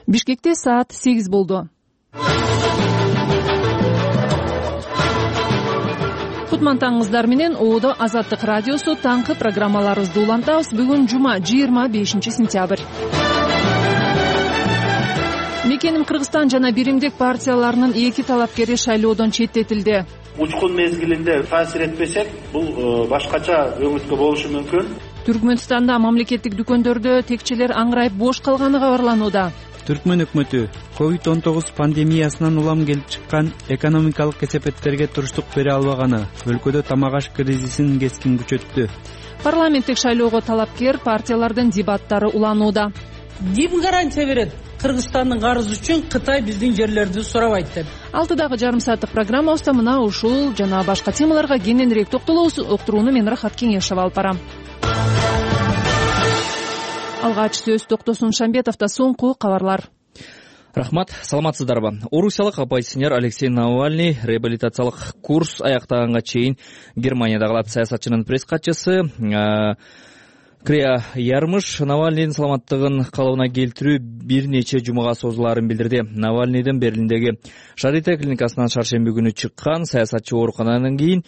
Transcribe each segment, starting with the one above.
Бишкекте саат 8 болду. Кутмантаңыздар менен ООД Азаттык радиосу таңкы программаларыбызды улантабыз. Бүгүн жума 25 сентябрь. Мекеним Кыргызстан жана биримдик партияларынын 2 талапкери шайлоодон четтетилди. Учкун мезгилинде таасир этпесек, бул башкача өңүткө болушу мүмкүн. Түркмөнстанда мамлекеттик дүкөндөрдө текчелер аңырайып бош калганы кабарланууда. Түркмөн өкмөтү COVID-19 пандемиясынан улам келип чыккан экономикалык кесепеттерге туруштук бере албаганы, өлкөдө тамак-аш кризисин кескин күчөттү. Парламенттик шайлоого талапкер партиялардын дебаттары уланууда. Ким гарантия берет? Кыргызстандын карызы үчүн Кытай биздин жерлерди сурабайт деп. 6,5 сааттык программабызда мына ушул жана башка темаларга кененирээк токтолобуз. Уктурууну мен Рахат Кеңешева алып барам. Алгач сөз Токтосун Шамбетовдо соңку кабарлар. Рахмат, саламатсыздарбы? Орусиялык оппозиционер Алексей Навальный реабилитациялык курс аяктаганга чейин Германияда калат. Саясатчынын пресс катчысы Крия Ярмыш Навальныйдын саламаттыгын калыбына келтирүү бир нече жумага созулаарын билдирди. Навальныйдын Берлиндеги Шарите клиникасынан шаршемби күнү чыккан саясатчы оорукананан кийин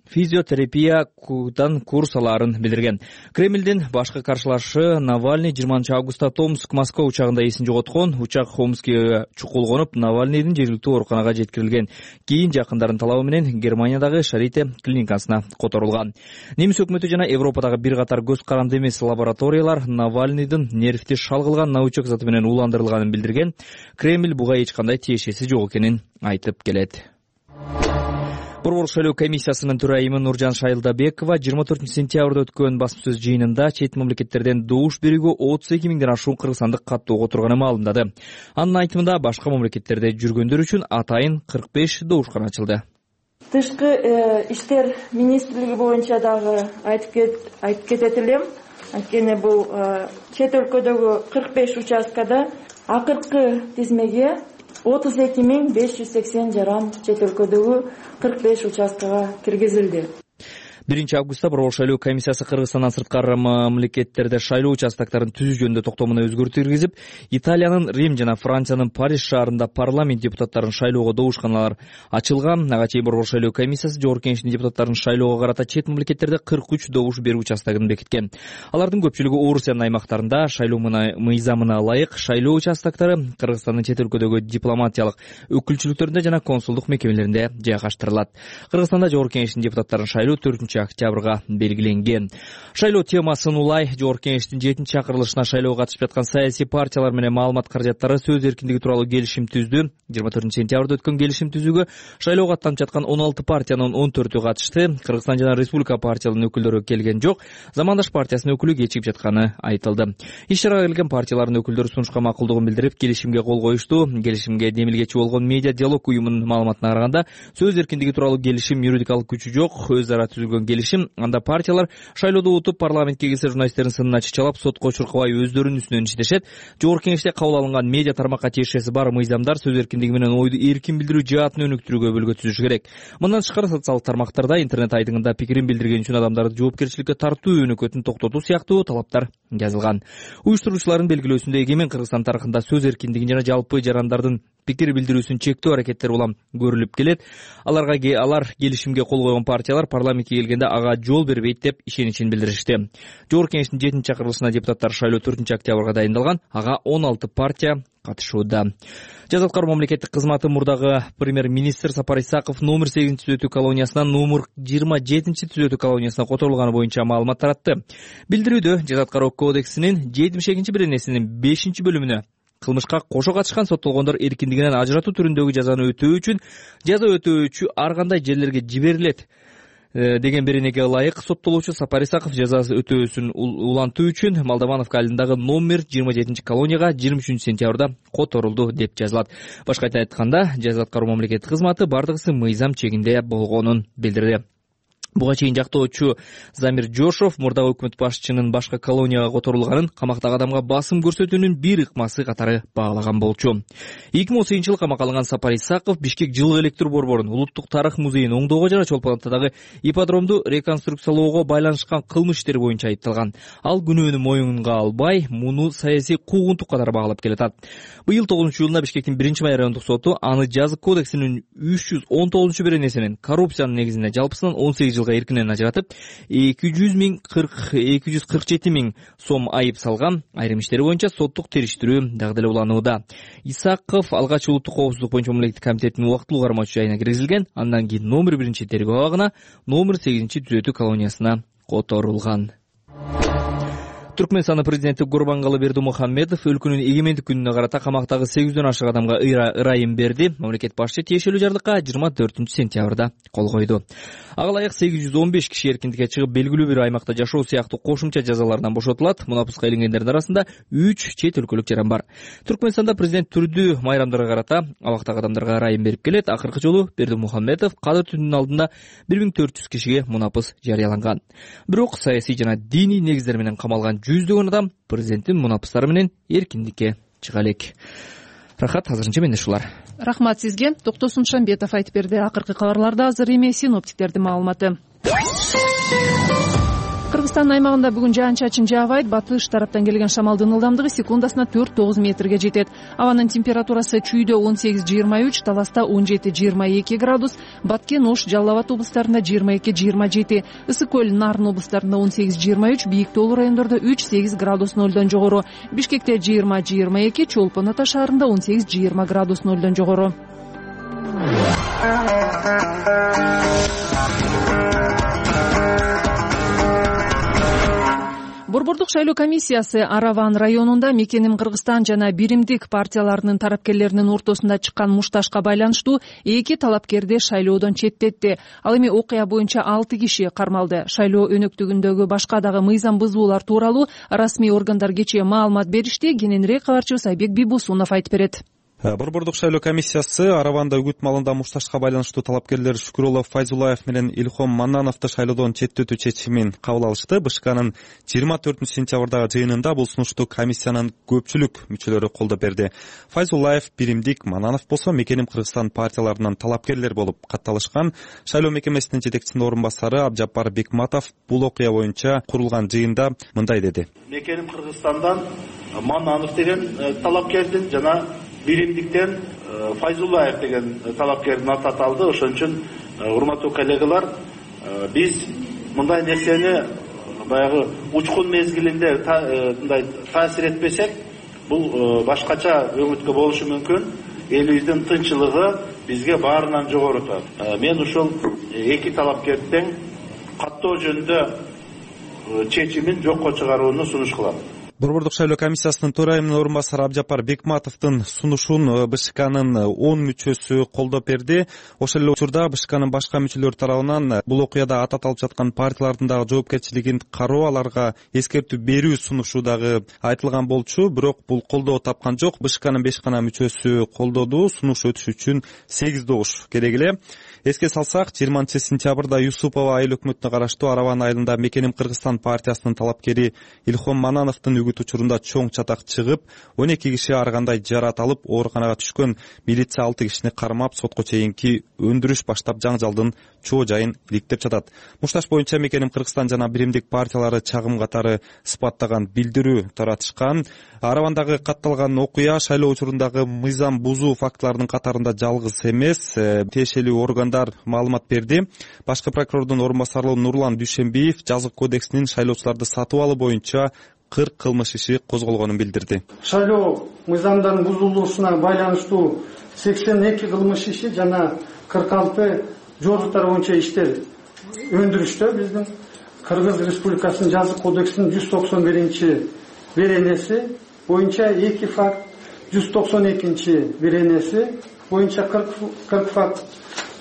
физиотерапиядан курс алаарын билдирген. Кремлдин башкы каршылашы Навальный 20 августта Томск Москва учагында эсин жоготкон. Учак Хомскиге чукулгонуп, Навальныйдын жергиликтүү ооруканага жеткирилген. Кийин жакындардын талабы менен Германиядагы Шарите клиникасына которулган. Немис өкмөтү жана Европадагы бир катар көз каранды эмес лабораториялар Навальныйдын нервти шалгылган научок заты менен ууландырылганын билдирген. Кремль буга эч кандай тиешеси жок экенин айтып келет. Борбор шайлоо комиссиясынын төрайымы Нуржан Шайылдабекова 24 сентябрда өткөн басма сөз жыйынында чет мамлекеттерден добуш берүүгө 32 миңден ашуун кыргызстандык каттоого турганын маалымдады. Анын айтымында башка мамлекеттерде жүргөндөр үчүн атайын 45 добушкана ачылды. Тышкы иштер министрлиги боюнча дагы айтып кетет элем. Анткени бул чет өлкөдөгү 45 участкада акыркы тизмеге 32.580 жаран чет өлкөдөгү 45 участкага киргизилди. 1 августта Борбор шайлоо комиссиясы Кыргызстандан сырткары мамлекеттерде шайлоо участокторун түзүү жөнүндө токтомуна өзгөртүү киргизип, Италиянын Рим жана Франциянын Париж шаарында парламент депутаттарын шайлоого добушканалар ачылган. Ага чейин Борбор шайлоо комиссиясы Жогорку Кеңештин депутаттарын шайлоого карата чет мамлекеттерде 43 добуш берүү участогун бекиткен. Алардын көпчүлүгү Орусиянын аймактарында шайлоо мыйзамына ылайык шайлоо участоктору Кыргызстандын чет өлкөдөгү дипломатиялык өкүлчүлүктөрүндө жана консулдук мекемелеринде жайгаштырылат. Кыргызстанда Жогорку Кеңештин депутаттарын шайлоо 4 октябрга белгиленген. Шайлоо темасын улай Жогорку Кеңештин 7-чакырылышына шайлоого катышып жаткан саясий партиялар менен маалымат каражаттары сөз эркиндиги тууралуу келишим түздү. 24 сентябрда өткөн келишим түзүүгө шайлоого аттанып жаткан 16 партиянын 14-ү катышты. Кыргызстан жана Республика партияларынын өкүлдөрү келген жок. Замандаш партиясынын өкүлү кечигип жатканы айтылды. Иш-чарага келген партиялардын өкүлдөрү сунушка макулдугун билдирип, келишимге кол коюшту. Келишимге демилгечи болгон Медиа диалог уюмунун маалыматына караганда, сөз эркиндиги тууралуу келишим юридикалык күчү жок. Өз ара түзүлгөн келишим, анда партиялар шайлоодо утуп парламентке кирсе журналисттердин сынына чычалап, сотко чуркабай өздөрүнүн үстүнөн иштешет. Жогорку Кеңеште кабыл алынган медиа тармакка тиешеси бар мыйзамдар сөз эркиндиги менен ойду эркин билдирүү жаатын өнүктүрүүгө бөлгө түзүшү керек. Мындан тышкары социалдык тармактарда, интернет айдыңында пикирин билдирген үчүн адамдарды жоопкерчиликке тартуу өнөкөтүн токтотуу сыяктуу талаптар жазылган. Уюштуруучулардын белгилөөсүндө эгемен Кыргызстан тарыхында сөз эркиндигин жана жалпы жарандардын пикир билдирүүсүн чектөө аракеттери улам көрүлүп келет. Алар келишимге кол койгон партиялар парламентке келгенде ага жол бербейт деп ишеничин билдиришти. Жогорку Кеңештин 7-чакырылышына депутаттар шайлоо 4 октябрга дайындалган. Ага 16 партия катышууда. Жаза аткаруу мамлекеттик кызматы мурдагы премьер-министр Сапар Исаков номер 8-түзөтүү колониясынан номер 27-түзөтүү колониясына которулганы боюнча маалымат таратты. Билдирүүдө жаза аткаруу кодексинин 72-беренесинин 5-бөлүмүнө кылмышка кошо катышкан соттолгондор эркиндигинен ажыратуу түрүндөгү жазаны өтөө үчүн жаза өтөөчү ар кандай жерлерге жиберилет деген беренеге ылайык соттолуучу Сапар Исаков жазасы өтөөсүн улантуу үчүн Молдовановка айылындагы номер 27 колонияга 23 сентябрда которулду деп жазылат. Башка айтканда, жаза аткаруу мамлекеттик кызматы бардыгысы мыйзам чегинде болгонун билдирди. Буга чейин жактоочу Замир Жошов мурдагы өкмөт башчынын башка колонияга которулганын камактагы адамга басым көрсөтүүнүн бир ыкмасы катары баалаган болчу. 2018-жылы камакка алынган Сапар Исаков Бишкек жылкы электр борборун, Улуттук тарых музейин оңдоого жана Чолпон Атадагы ипподромду реконструкциялоого байланышкан кылмыш иштери боюнча айыпталган. Ал күнөөнү моюнга албай, муну саясий куугунтук катары баалап келатат. Быйыл 9-июлунда Бишкектин 1-май райондук соту аны жазык кодексинин 319-беренесинин коррупциянын негизинде жалпысынан 18 жылга эркинен ажыратып, 247 миң сом айып салган. Айрым иштери боюнча соттук териштирүү дагы эле уланууда. Исаков алгач улуттук коопсуздук боюнча мамлекеттик комитеттин убактылуу кармоочу жайына киргизилген. Андан кийин номер 1-тергөө абагына, номер 8-түзөтүү колониясына которулган. Түркмөнстандын президенти Гурбангалы Бердимухамедов өлкөнүн эгемендик күнүнө карата камактагы 800дөн ашык адамга ырайым берди. Мамлекет башчы тиешелүү жардыкка 24-сентябрда кол койду. Ага ылайык 815 киши эркиндикке чыгып белгилүү бир аймакта жашоо сыяктуу кошумча жазалардан бошотулат. Мунапыска илингендердин арасында 3 чет өлкөлүк жаран бар. Түркмөнстанда президент түрдүү майрамдарга карата абактагы адамдарга ырайым берип келет. Акыркы жолу Бердимухамедов Кадыр түнүнүн алдында 1400 кишиге мунапыс жарыяланган. Бирок саясий жана диний негиздер менен камалган жүздөгөн адам президенттин мунапыстары менен эркиндикке чыга элек. Рахат, азырынча менде ушулар. Рахмат сизге. Токтосун Шамбетов айтып берди. Акыркы кабарларда азыр эми синоптиктердин маалыматы. Кыргызстан аймагында бүгүн жаан-чачын жаабайт. Батыш тараптан келген шамалдын ылдамдыгы секундасына 4-9 метрге жетет. Абанын температурасы Чүйдө 18-23, Таласта 17-22 градус, Баткен, Ош, Жалал Абад облустарында 22-27, Ысык көл, Нарын облустарында 18-23, Бийик Тоолуу райондордо 3-8 градус нөлдөн жогору, Бишкекте 20-22, Чолпон Ата шаарында 18-20 градус нөлдөн жогору. Борбордук шайлоо комиссиясы Араван районунда Мекеним Кыргызстан жана Биримдик партияларынын тарапкерлеринин ортосунда чыккан мушташка байланыштуу 2 талапкерди шайлоодон четтетти. Ал эми окуя боюнча 6 киши кармалды. Шайлоо өнөктүгүндөгү башка дагы мыйзам бузуулар тууралуу расмий органдар кечээ маалымат беришти. Кененирээк кабарчыбыз Айбек Бибусунов айтып берет. Борбордук шайлоо комиссиясы Араванда үгүт маалында мушташка байланыштуу талапкерлер Шүкүрөлов Файзулаев менен Илхом Маннановду шайлоодон четтетүү чечимин кабыл алышты. БШКнын 24-сентябрдагы жыйынында бул сунушту комиссиянын көпчүлүк мүчөлөрү колдоп берди. Файзулаев, Биримдик, Маннанов болсо Мекеним Кыргызстан партияларынын талапкерлер болуп катталышкан. Шайлоо мекемесинин жетекчисинин орун басары Абжапар Бекматов бул окуя боюнча курулган жыйында мындай деди. Мекеним Кыргызстандан Маннанов деген талапкердин жана Биримдиктен Файзулаев деген талапкердин аты аталды. Ошон үчүн урматтуу коллегалар, биз мындай нерсени баягы учкун мезгилинде мындай таасир этпесек, бул башкача өңүткө болушу мүмкүн. Элибиздин тынччылыгы бизге баарынан жогору турат. Мен ушул 2 талапкердин каттоо жөнүндө чечимин жокко чыгарууну сунуш кылам. Борбордук шайлоо комиссиясынын төрайымынын орун басары Абжапар Бекматовдун сунушун БШКнын 10 мүчөсү колдоп берди. Ошол эле учурда БШКнын башка мүчөлөрү тарабынан бул окуяда ат аталып жаткан партиялардын дагы жоопкерчилигин кароо, аларга эскертүү берүү сунушу дагы айтылган болчу. Бирок бул колдоо тапкан жок. БШКнын 5 гана мүчөсү колдоду. Сунуш өтүш үчүн 8 добуш керек эле. Эске салсак, 20-сентябрда Юсупова айыл өкмөтүнө караштуу Араван айылында Мекеним Кыргызстан партиясынын талапкери Илхом Маннановдун үгүт учурунда чоң чатак чыгып, 12 киши ар кандай жарат алып, ооруканага түшкөн. Милиция 6 кишини кармап, сотко чейинки өндүрүш баштап жаңжалдын чоо жайын иликтеп жатат. Мушташ боюнча Мекеним Кыргызстан жана Биримдик партиялары чагым катары сыпаттаган билдирүү таратышкан. Аравандагы катталган окуя шайлоо учурундагы мыйзам бузуу фактыларынын катарында жалгыз эмес. Тиешелүү органдар маалымат берди. Башкы прокурордун орун басары Нурлан Дүйшөнбиев жазык кодексинин шайлоочуларды сатып алуу боюнча 40 кылмыш иши козголгонун билдирди. Шайлоо мыйзамдардын бузулуусуна байланыштуу 82 кылмыш иши жана 46 жордуктар боюнча иштер өндүрүштө. Биздин Кыргыз Республикасынын жазык кодексинин 191-беренеси боюнча 2 факт, 192-беренеси боюнча 40 факт,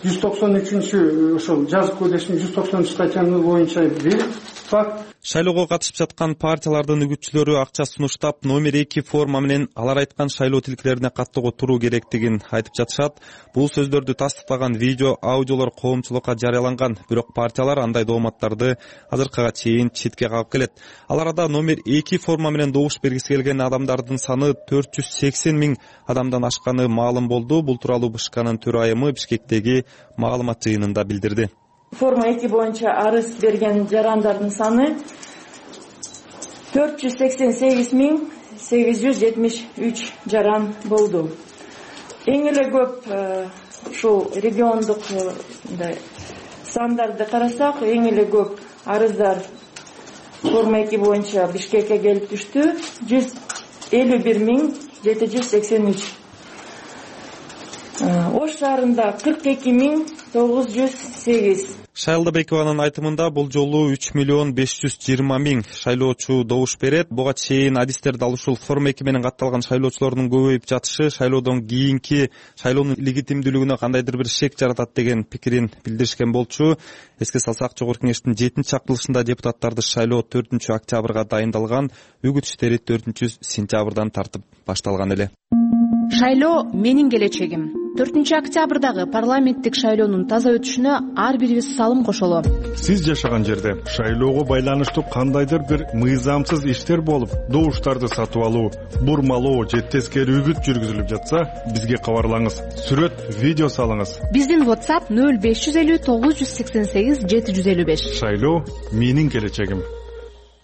193 ошол жазык кодексинин 193 статьясы боюнча 1, факт. Шайлоого катышып жаткан партиялардын үгүтчүлөрү акча сунуштап номер 2 форма менен алар айткан шайлоо тилкелерине каттоого туруу керектигин айтып жатышат. Бул сөздөрдү тастыктаган видео, аудиолор коомчулукка жарыяланган, бирок партиялар андай дооматтарды азыркыга чейин четке кагып келет. Ал арада номер 2 форма менен добуш бергиси келген адамдардын саны 480 миң адамдан ашканы маалым болду. Бул тууралуу БШКнын төрайымы Бишкектеги маалымат жыйынында билдирди. Форма 2 боюнча арыз берген жарандардын саны 488.873 жаран болду. Эң эле көп ушул региондук сандарды карасак, эң эле көп арыздар форма 2 боюнча Бишкекке келип түштү. 151.783. Ош шаарында 42.908. Шайлдабекованын айтымында бул жолу 3.520.000 шайлоочу добуш берет. Буга чейин адистер дал ушул форма 2 менен катталган шайлоочулордун көбөйүп жатышы шайлоодон кийинки шайлоонун легитимдүүлүгүнө кандайдыр бир шек жаратат деген пикирин билдиришкен болчу. Эске салсак, Жогорку Кеңештин 7-чактылышында депутаттарды шайлоо 4-октябрга дайындалган, үгүт иштери 4-сентябрдан тартып башталган эле. Шайлоо менин келечегим. 4-октябрдагы парламенттик шайлоонун таза өтүшүнө ар бирибиз салым кошолу. Сиз жашаган жерде шайлоого байланыштуу кандайдыр бир мыйзамсыз иштер болуп, добуштарды сатып алуу, бурмалоо же тескери үгүт жүргүзүлүп жатса, бизге кабарлаңыз. Сүрөт, видео салыңыз. Биздин WhatsApp 0550 988 755. Шайлоо менин келечегим.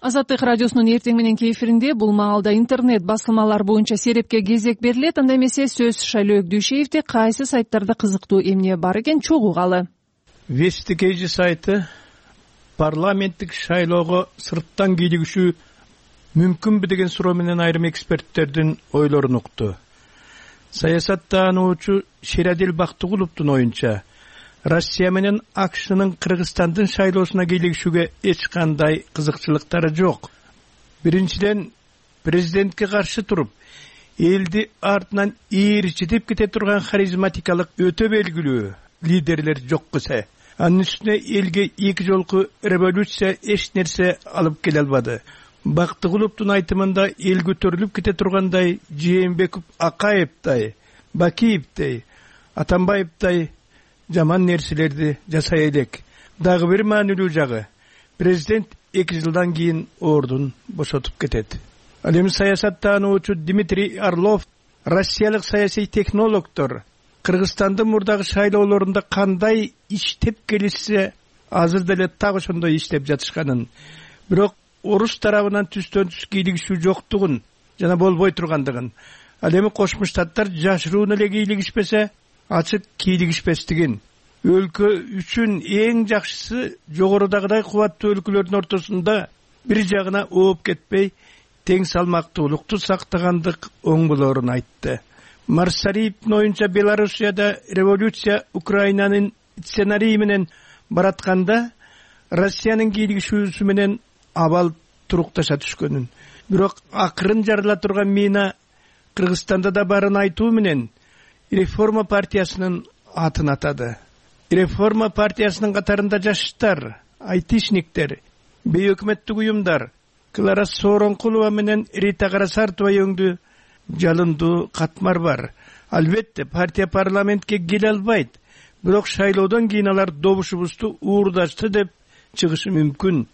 Азаттык радиосунун эртең мененки эфиринде бул маалда интернет басылмалар боюнча серепке кезек берилет. Анда эмесе сөз Шайлоо Өкдүшевде кайсы сайттарда кызыктуу эмне бар экен чогугалы. Вестикейжи сайты парламенттик шайлоого сырттан кийлигишүү мүмкүнбү деген суроо менен айрым эксперттердин ойлорун укту. Саясаттануучу Шерадил Бактыгуловдун оюнча Россия менен АКШнын Кыргызстандын шайлоосуна кийлигишүүгө эч кандай кызыкчылыктары жок. Биринчиден, президентке каршы туруп, элди артынан ээрчитип кете турган харизматикалык өтө белгилүү лидерлер жок кысе. Анын үстүнө элге эки жолку революция эч нерсе алып келе албады. Бактыгуловдун айтымында эл көтөрүлүп кете тургандай Жээнбеков Акаевтай, Бакиевтай, Атамбаевтай жаман нерселерди жасай элек. Дагы бир маанилүү жагы, президент 2 жылдан кийин ордун бошотуп кетет. Ал эми саясаттануучу Дмитрий Орлов, россиялык саясий технологдор Кыргызстандын мурдагы шайлоолорунда кандай иштеп келишсе, азыр деле так ошондой иштеп жатышканын, бирок орус тарабынан түстөн түз кийлигишүү жоктугун жана болбой тургандыгын, ал эми Кошмо Штаттар жашыруун эле кийлигишпесе, ачык кийлигишпестигин, өлкө үчүн эң жакшысы жогорудагыдай кубаттуу өлкөлөрдүн ортосунда бир жагына ооп кетпей, тең салмактуулукту сактагандык оң болорун айтты. Марсариевдин оюнча Белоруссияда революция Украинанын сценарийи менен баратканда Россиянын кийлигишүүсү менен абал турукташа түшкөнүн, бирок акырын жарыла турган мина Кыргызстанда да барын айтуу менен Реформа партиясынын атын атады. Реформа партиясынын катарында жаштар, айтишниктер, бейөкмөттүк уюмдар Клара Сооронкулова менен Рита Карасартова өңдүү жалындуу катмар бар. Албетте партия парламентке келе албайт, бирок шайлоодон кийин алар добушубузду уурдашты деп чыгышы мүмкүн.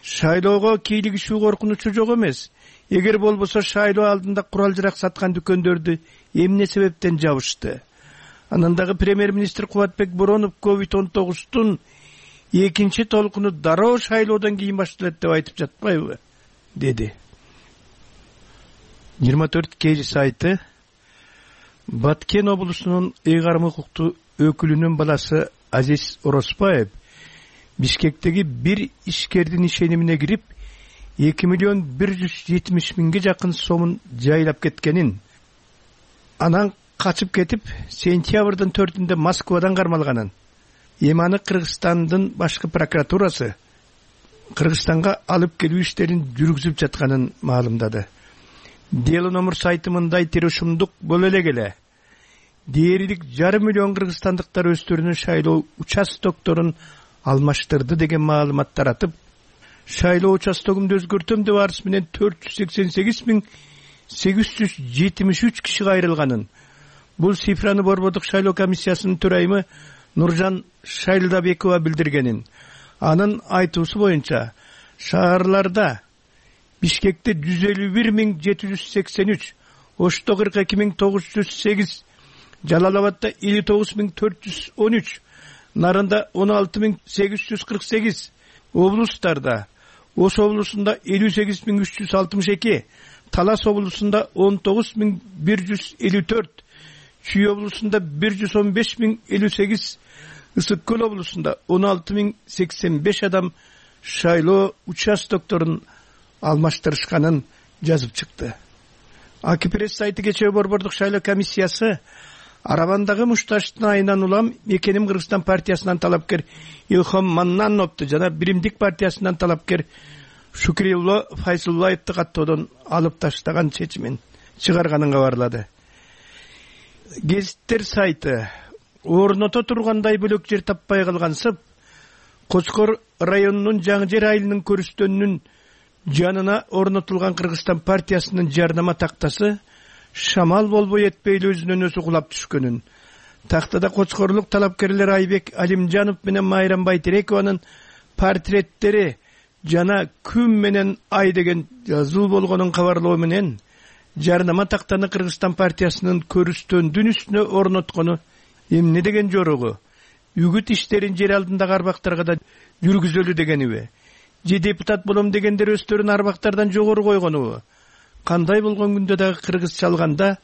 Шайлоого кийлигишүү коркунучу жок эмес. Эгер болбосо шайлоо алдында курал-жарак саткан дүкөндөрдү эмне себептен жабышты? Анан дагы премьер-министр Кубатбек Боронов COVID-19-тун экинчи толкуну дароо шайлоодон кийин башталат деп айтып жатпайбы? Деди. 24 кж сайты Баткен облусунун ыйгарым укуктуу өкүлүнүн баласы Азиз Ороспаев Бишкектеги бир ишкердин ишенимине кирип 2.170.000 жакын сомун жайлап кеткенин, анан качып кетип сентябрдын 4-інде Москвадан кармалганын, эми аны Кыргызстандын башкы прокуратурасы Кыргызстанга алып келүү иштерин жүргүзүп жатканын маалымдады. Дело номер сайты мындай тирешумдук боло эле келе. Дээрлик 1,5 миллион кыргызстандыктар өздөрүнүн шайлоо участокторун алмаштырды деген маалымат таратып, шайлоо участогумду өзгөртөм деп арыз менен 488.873 киши кайрылганын. Бул цифраны Борбордук шайлоо комиссиясынын төрайымы Нуржан Шайлдабекова билдиргенин. Анын айтуусу боюнча шаарларда Бишкекте 151.783, Ошто 42.908, Жалал-Абадда 59.413, Нарында 16.848, облустарда Ош облусунда 58.362, Талас облусунда 19.154, Чүй облусунда 115.058, Ысык Көл облусунда 16.085 адам шайлоо участокторун алмаштырышканын жазып чыкты. Акипресс сайты кечээ Борбордук шайлоо комиссиясы Арабандагы Мушташтын айынан улам Мекеним Кыргызстан партиясынан талапкер Илхом Маннановду жана Биримдик партиясынан талапкер Шукрилло Файзуллаевди каттоодон алып таштаган чечимин чыгарганын кабарлады. Гезиттер сайты орното тургандай бөлөк жер таппай калгансып, Кочкор районунун Жаңы Жер айылынын көрүстөнүнүн жанына орнотулган Кыргызстан партиясынын жардама тактасы шамал болбой этпейли өзүнөн өзү кулап түшкөнүн, тактада Кочкорлук талапкерлер Айбек Алимжанов менен Майрам Байтерекованын портреттери жана күн менен ай деген жазуу болгонун кабарлоо менен жардама тактаны Кыргызстан партиясынын көрүстөндүн үстүнө орноткону эмне деген жорогу? Үгүт иштерин жер алдындагы арбактарга да жүргүзөлү дегениби? Же депутат болом дегендер өздөрүн арбактардан жогору койгонубу? Кандай болгон күндө дагы кыргызча алганда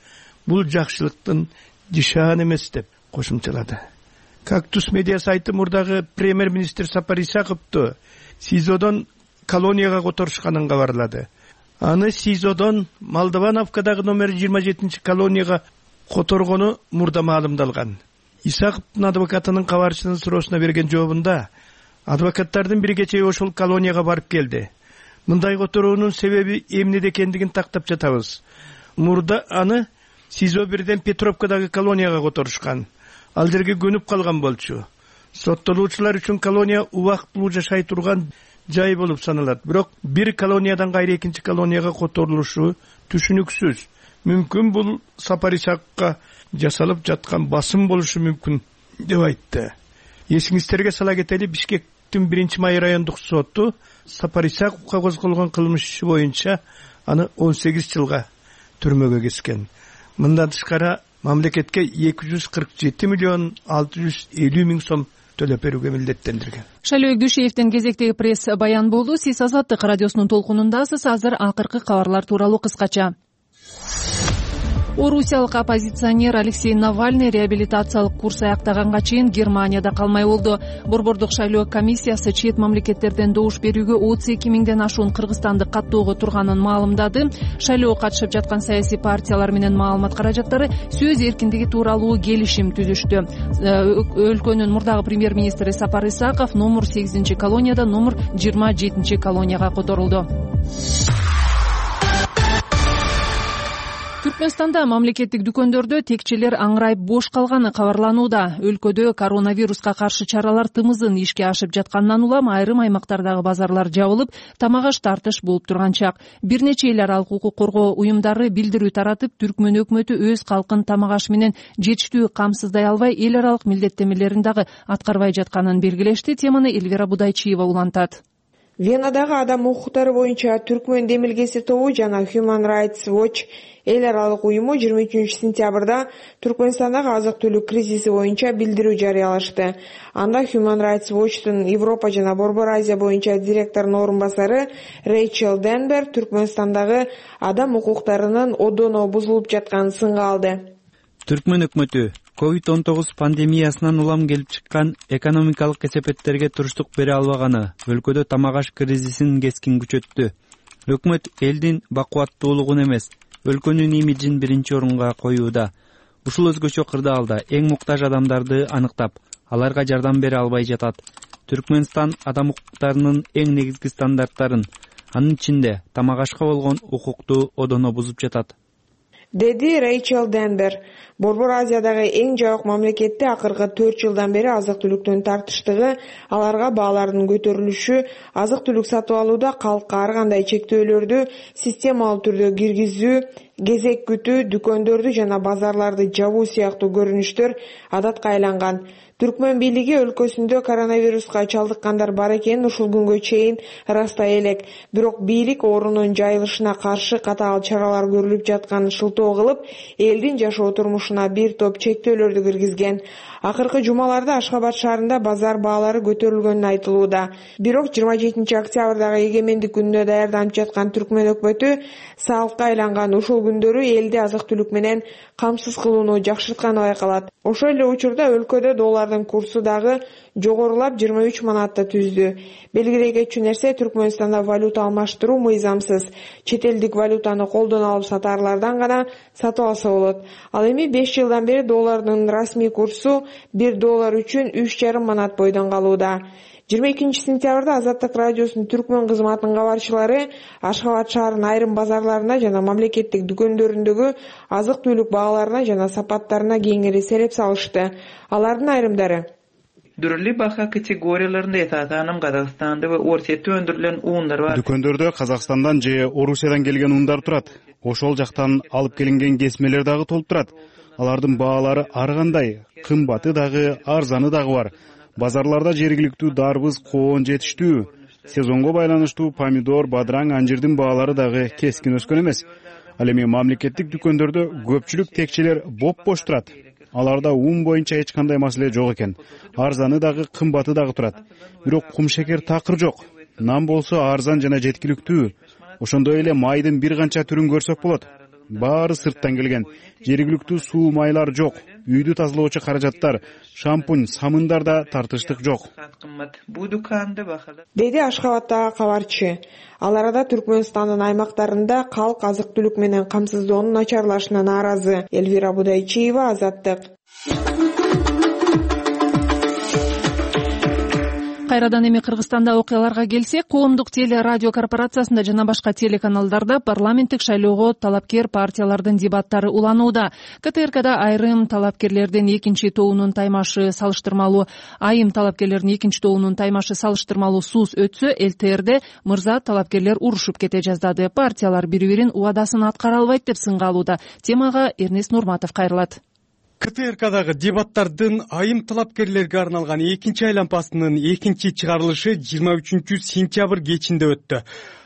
бул жакшылыктын жишаан эмес деп кошумчалады. Кактус медиа сайты мурдагы премьер-министр Сапар Исаковду СИЗОдон колонияга которушканын кабарлады. Аны СИЗОдон Молдовановкадагы номер 27 колонияга которгону мурда маалымдалган. Исаковдун адвокатынын кабарчынын суроосуна берген жообунда адвокаттардын бири кечээ ошол колонияга барып келди. Мындай которуунун себеби эмнеде экендигин тактап жатабыз. Мурда аны СИЗО бирден Петровкадагы колонияга которушкан. Ал жерге көнүп калган болчу. Соттолуучулар үчүн колония убактылуу жашай турган жай болуп саналат. Бирок бир колониядан кайра экинчи колонияга которулушу түшүнүксүз. Мүмкүн бул Сапар Исаковго жасалып жаткан басым болушу мүмкүн деп айтты. Эсиңиздерге сала кетели, Бишкектин 1-Май райондук соту Сапар Исаковго козголгон кылмыш иши боюнча аны 18 жылга түрмөгө кескен. Мындан тышкары мамлекетке 247.650.000 сом төлөп берүүгө милдеттендирген. Шайлоо Гүшеевдин кезектеги пресс баян болду. Сиз Азаттык радиосунун толкунундасыз. Азыр акыркы кабарлар тууралуу кыскача. Орусиялык оппозиционер Алексей Навальный реабилитациялык курс аяктаганга чейин Германияда калмай болду. Борбордук шайлоо комиссиясы чет мамлекеттерден добуш берүүгө 32 миңден ашуун кыргызстанды каттоого турганын маалымдады. Шайлоого катышып жаткан саясий партиялар менен маалымат каражаттары сөз эркиндиги тууралуу келишим түзүштү. Өлкөнүн мурдагы премьер-министри Сапар Исаков номер 8 колонияда номер 27 колонияга которулду. Түркмөнстанда мамлекеттик дүкөндөрдө текчелер аңырайып бош калганы кабарланууда. Өлкөдө коронавируска каршы чаралар тымызын ишке ашып жаткандан улам айрым аймактардагы базарлар жабылып, тамак-аш тартыш болуп турган чак. Бир нече эл аралык укук коргоо уюмдары билдирүү таратып, Түркмөн өкмөтү өз калкын тамак-аш менен жетиштүү камсыздай албай, эл аралык милдеттемелерин дагы аткарбай жатканын белгилешти. Теманы Элвира Будайчиева улантат. Венадагы адам укуктары боюнча Түркмөн демилгеси тобу жана Human Rights Watch эл аралык уюму 23 сентябрда Түркмөнстандагы азык-түлүк кризиси боюнча билдирүү жарыялашты. Анда Human Rights Watch'тун Европа жана Борбор Азия боюнча директорунун орун басары Рейчел Денбер Түркмөнстандагы адам укуктарынын одоно бузулуп жатканын сынга алды. Түркмөн өкмөтү COVID-19 пандемиясынан улам келип чыккан экономикалык кесепеттерге туруштук бере албаганы, өлкөдө тамак-аш кризисин кескин күчөттү. Өкмөт элдин бакубаттуулугун эмес, өлкөнүн имиджин биринчи орунга коюуда. Ушул өзгөчө кырдаалда эң муктаж адамдарды аныктап, аларга жардам бере албай жатат. Түркмөнстан адам укуктарынын эң негизги стандарттарын, анын ичинде тамак-ашка болгон укукту одоно бузуп жатат. деди Рейчел Денбер. Борбор Азиядагы эң жабык мамлекетте акыркы 4 жылдан бери азык-түлүктүн тартыштыгы, аларга баалардын көтөрүлүшү, азык-түлүк сатып алууда калкка ар кандай чектөөлөрдү системалуу түрдө киргизүү, кезек күтүү, дүкөндөрдү жана базарларды жабуу сыяктуу көрүнүштөр адатка айланган. Түркмөн бийлиги өлкөсүндө коронавируска чалдыккандар бар экенин ушул күнгө чейин ырастай элек. Бирок бийлик оорунун жайылышына каршы катаал чаралар көрүлүп жатканын шылтоо кылып, элдин жашоо турмушуна бир топ чектөөлөрдү киргизген. Акыркы жумаларда Ашхабад шаарында базар баалары көтөрүлгөнү айтылууда. Бирок 27 октябрдагы эгемендик күнүнө даярданып жаткан Түркмөн өкмөтү салкка айланган ушул күндөрү элди азык-түлүк менен камсыз кылууну жакшыртканы байкалат. Ошол эле учурда өлкөдө доллардын курсу дагы жогорулап 23 манатты түздү. Белгилей кетчү нерсе, Түркмөнстанда валюта алмаштыруу мыйзамсыз. Чет элдик валютаны колдон алып сатаарлардан гана сатып алса болот. Ал эми 5 жылдан бери доллардын расмий курсу $1 үчүн 3,5 манат бойдон калууда. 22 сентябрда Азаттык радиосунун Түркмөн кызматынын кабарчылары Ашхабад шаарынын айрым базарларына жана мамлекеттик дүкөндөрүндөгү азык-түлүк бааларына жана сапаттарына кеңири сереп салышты. Алардын айрымдары: Дүрлүү баха категорияларында этатаным Казакстанда ва Орусияда өндүрүлгөн ундар бар. Дүкөндөрдө Казакстандан же Орусиядан келген ундар турат. Ошол жактан алып келинген кесмелер дагы толуп турат. Алардын баалары ар кандай, кымбаты дагы, арзаны дагы бар. Базарларда жергиликтүү дарбыз, коон жетиштүү. Сезонго байланыштуу помидор, бадыраң, анжирдин баалары дагы кескин өскөн эмес. Ал эми мамлекеттик дүкөндөрдө көпчүлүк текчелер боп-бош турат. Аларда ун боюнча эч кандай маселе жок экен. Арзаны дагы, кымбаты дагы турат. Бирок кумшекер такыр жок. Нан болсо арзан жана жеткиликтүү. Ошондой эле майдын бир канча түрүн көрсөк болот. Баары сырттан келген. Жергиликтүү суу майлар жок. Үйдү тазалоочу каражаттар, шампунь, самындар да тартыштык жок. Деди Ашхабадтагы кабарчы. Ал арада Түркмөнстандын аймактарында калк азык-түлүк менен камсыздоонун начарлашына нааразы. Элвира Будайчиева, Азаттык. Кайрадан эми Кыргызстанда окуяларга келсек, коомдук теле радио корпорациясында жана башка телеканалдарда парламенттик шайлоого талапкер партиялардын дебаттары уланууда. КТРКда айым талапкерлердин экинчи тобунун таймашы салыштырмалуу сууз өтсө, ЛТРде мырза талапкерлер урушуп кете жаздады. Партиялар бири-бирин убадасын аткара албайт деп сынга алууда. Темага Эрнест Нурматов кайрылат. КТРКдагы дебаттардын айым талапкерлерге арналган экинчи айлампасынын экинчи чыгарылышы 23 сентябрь кечинде өттү.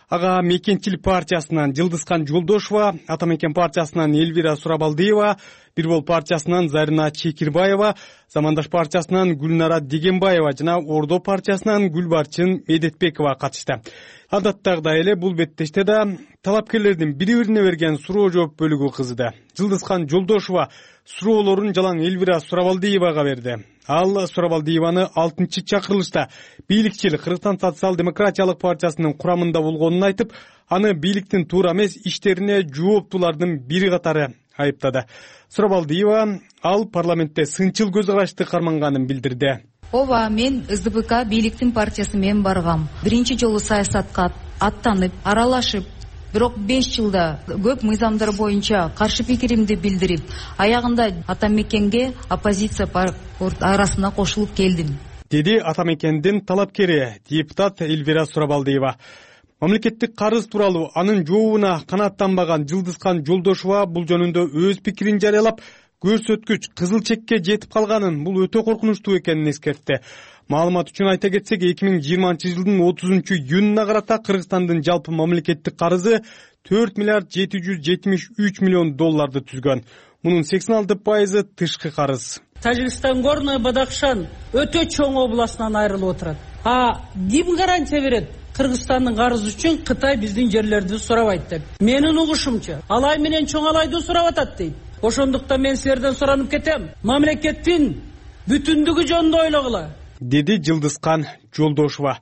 Ага Мекенчил партиясынан Жылдызкан Жолдошова, Ата Мекен партиясынан Элвира Сурабалдиева, Бирбол партиясынан Зарина Чекирбаева, Замандаш партиясынан Гүлнара Дегенбаева жана Ордо партиясынан Гүлбарчын Медетбекова катышты. Адаттагыдай эле бул беттеште да талапкерлердин бири-бирине берген суроо жооп бөлүгү кызды. Жылдызкан Жолдошова суроолорун жалаң Элвира Сурабалдиевага берди. Ал Сурабалдиеваны 6-чы чакырылышта бийликчил Кыргызстан социал-демократиялык партиясынын курамында болгонун айтып, аны бийликтин туура эмес иштерине жооптуулардын бири катары айыптады. Сурабалдиева ал парламентте сынчыл көз карашты карманганын билдирди. Ооба, мен СДПК бийликтин партиясы менен баргам. Биринчи жолу саясатка аттанып, аралашып, бирок 5 жылда көп мыйзамдар боюнча каршы пикиримди билдирип, аягында Ата Мекенге оппозиция арасына кошулуп келдим. Деди Ата Мекендин талапкери депутат Элвира Сурабалдиева. Мамлекеттик карыз тууралуу анын жообуна канааттанбаган Жылдызкан Жолдошова бул жөнүндө өз пикирин жарыялап, көрсөткүч кызыл чекке жетип калганын, бул өтө коркунучтуу экенин эскертти. Маалымат үчүн айта кетсек, 2020 жылдын 30-июнуна карата Кыргызстандын жалпы мамлекеттик карызы 4 миллиард 773 миллион долларды түзгөн. Мунун 86% тышкы карыз. Тажикстан Горный Бадахшан өтө чоң областынан айрылып отурат. Ким гарантия берет? Кыргызстандын карызы үчүн Кытай биздин жерлерди сурабайт деп. Менин угушумча, Алай менен Чоң Алайды сурап атат дейт. Ошондуктан мен силерден суранып кетем. Мамлекеттин бүтүндүгү жөнүндө ойлогула. Деди Жылдызкан Жолдошова.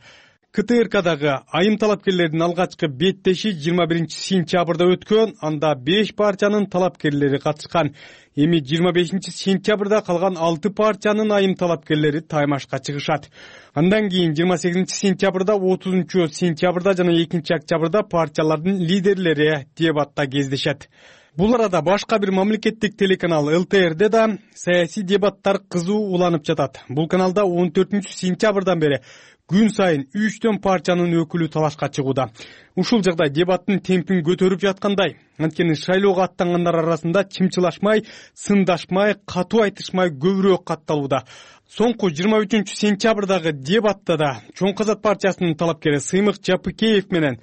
КТРКдагы айым талапкерлердин алгачкы беттеши 21 сентябрда өткөн. Анда 5 партиянын талапкерлери катышкан. Эми 25 сентябрда калган 6 партиянын айым талапкерлери таймашка чыгышат. Андан кийин 28 сентябрда, 30 сентябрда жана 2 октябрда партиялардын лидерлери дебатта кездешет. Бул арада башка бир мамлекеттик телеканал ЛТРде да саясий дебаттар кызуу уланып жатат. Бул каналда 14 сентябрдан бери күн сайын 3 партиянын өкүлү талашка чыгууда. Ушул жагдай дебаттын темпин көтөрүп жаткандай. Анткени шайлоого аттангандар арасында чымчылашмай, сындашмай, катуу айтышмай көбүрөөк катталууда. Соңку 23 сентябрдагы дебатта да Чоң Казак партиясынын талапкери Сыймык Жапыкеев менен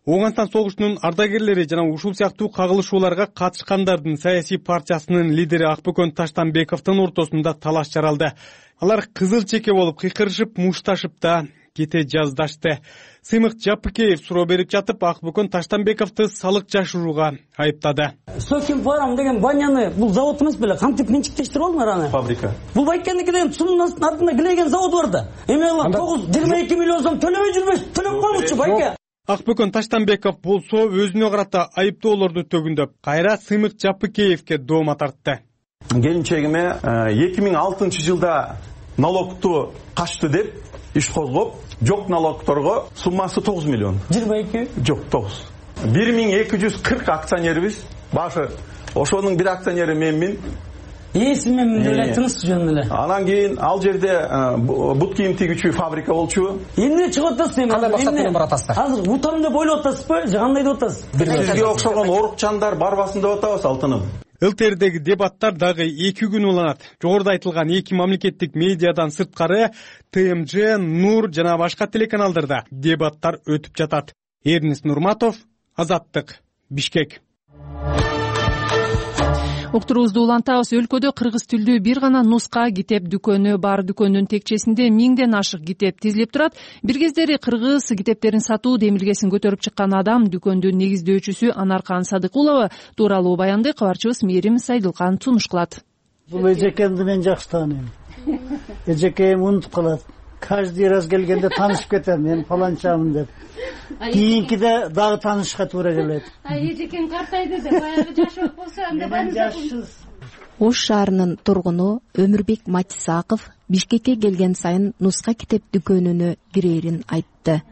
Оңгантан согушунун ардагерлери жана ушул сыяктуу кагылышууларга катышкандардын саясий партиясынын лидери Акбөкөн Таштанбековдун ортосунда талаш жаралды. Алар кызыл чеке болуп кыйкырышып, мушташып да кете жаздашты. Сыймык Жапыкеев суроо берип жатып, Акбөкөн Таштанбековду салык жашырууга айыптады. Соким Фарм деген баняны бул завод эмес беле, кантип менчиктештирип алдыңар аны? Фабрика. Бул айткандыки деген сумдун артында килеген завод бар да. Эми ал 22 миллион сом төлөбөй жүрбөйсүз, төлөп койгучу байке. Акбөкөн Таштанбеков болсо өзүнө карата айыптоолорду төгүндөп, кайра Сыймык Жапыкеевке доoma тартты. Келинчегиме 2006 жылда налогту качты деп иш козгоп, жок налогторго суммасы 9 миллион. 22? Жок, 9. 1240 акционерибиз. Башы ошонун бир акционери менмин. Эсиммен деле айтыңыз жөн эле. Анан кийин ал жерде бут кийим тигүүчү фабрика болчу. Эмне чыгып атасыз эми? Кандай максат менен баратасыздар? Азыр утам деп ойлоп атасызбы? Же кандай деп атасыз? Бизге окшогон орукчандар барбасын деп атабыз, алтыным. ЛТРдеги дебаттар дагы 2 күн уланат. Жогоруда айтылган 2 мамлекеттик медиадан сырткары ТМЖ, Нур жана башка телеканалдарда дебаттар өтүп жатат. Эрнис Нурматов, Азаттык, Бишкек. Уктуруубузду улантабыз. Өлкөдө кыргыз тилдүү бир гана нуска китеп дүкөнү бар. Дүкөндүн текчесинде 1000ден ашык китеп тизилип турат. Бир кездери кыргыз китептерин сатуу демилгесин көтөрүп чыккан адам дүкөндүн негиздөөчүсү Анаркан Садыкулова тууралуу баянды кабарчыбыз Мээрим Сайдылкан сунуш кылат. Бул эжекемди мен жакшы тааныйм. Эжекем унутуп калат. Каждый раз келгенде таанышып кетем, мен фаланчамын деп. Кийинкиде дагы таанышышка туура келет. Эжекең картайды деп, баягы жашоок болсо анда жашсыз. Ош шаарынын тургуну Өмүрбек Матисаков Бишкекке келген сайын нуска китеп дүкөнүнө кирерин айтты.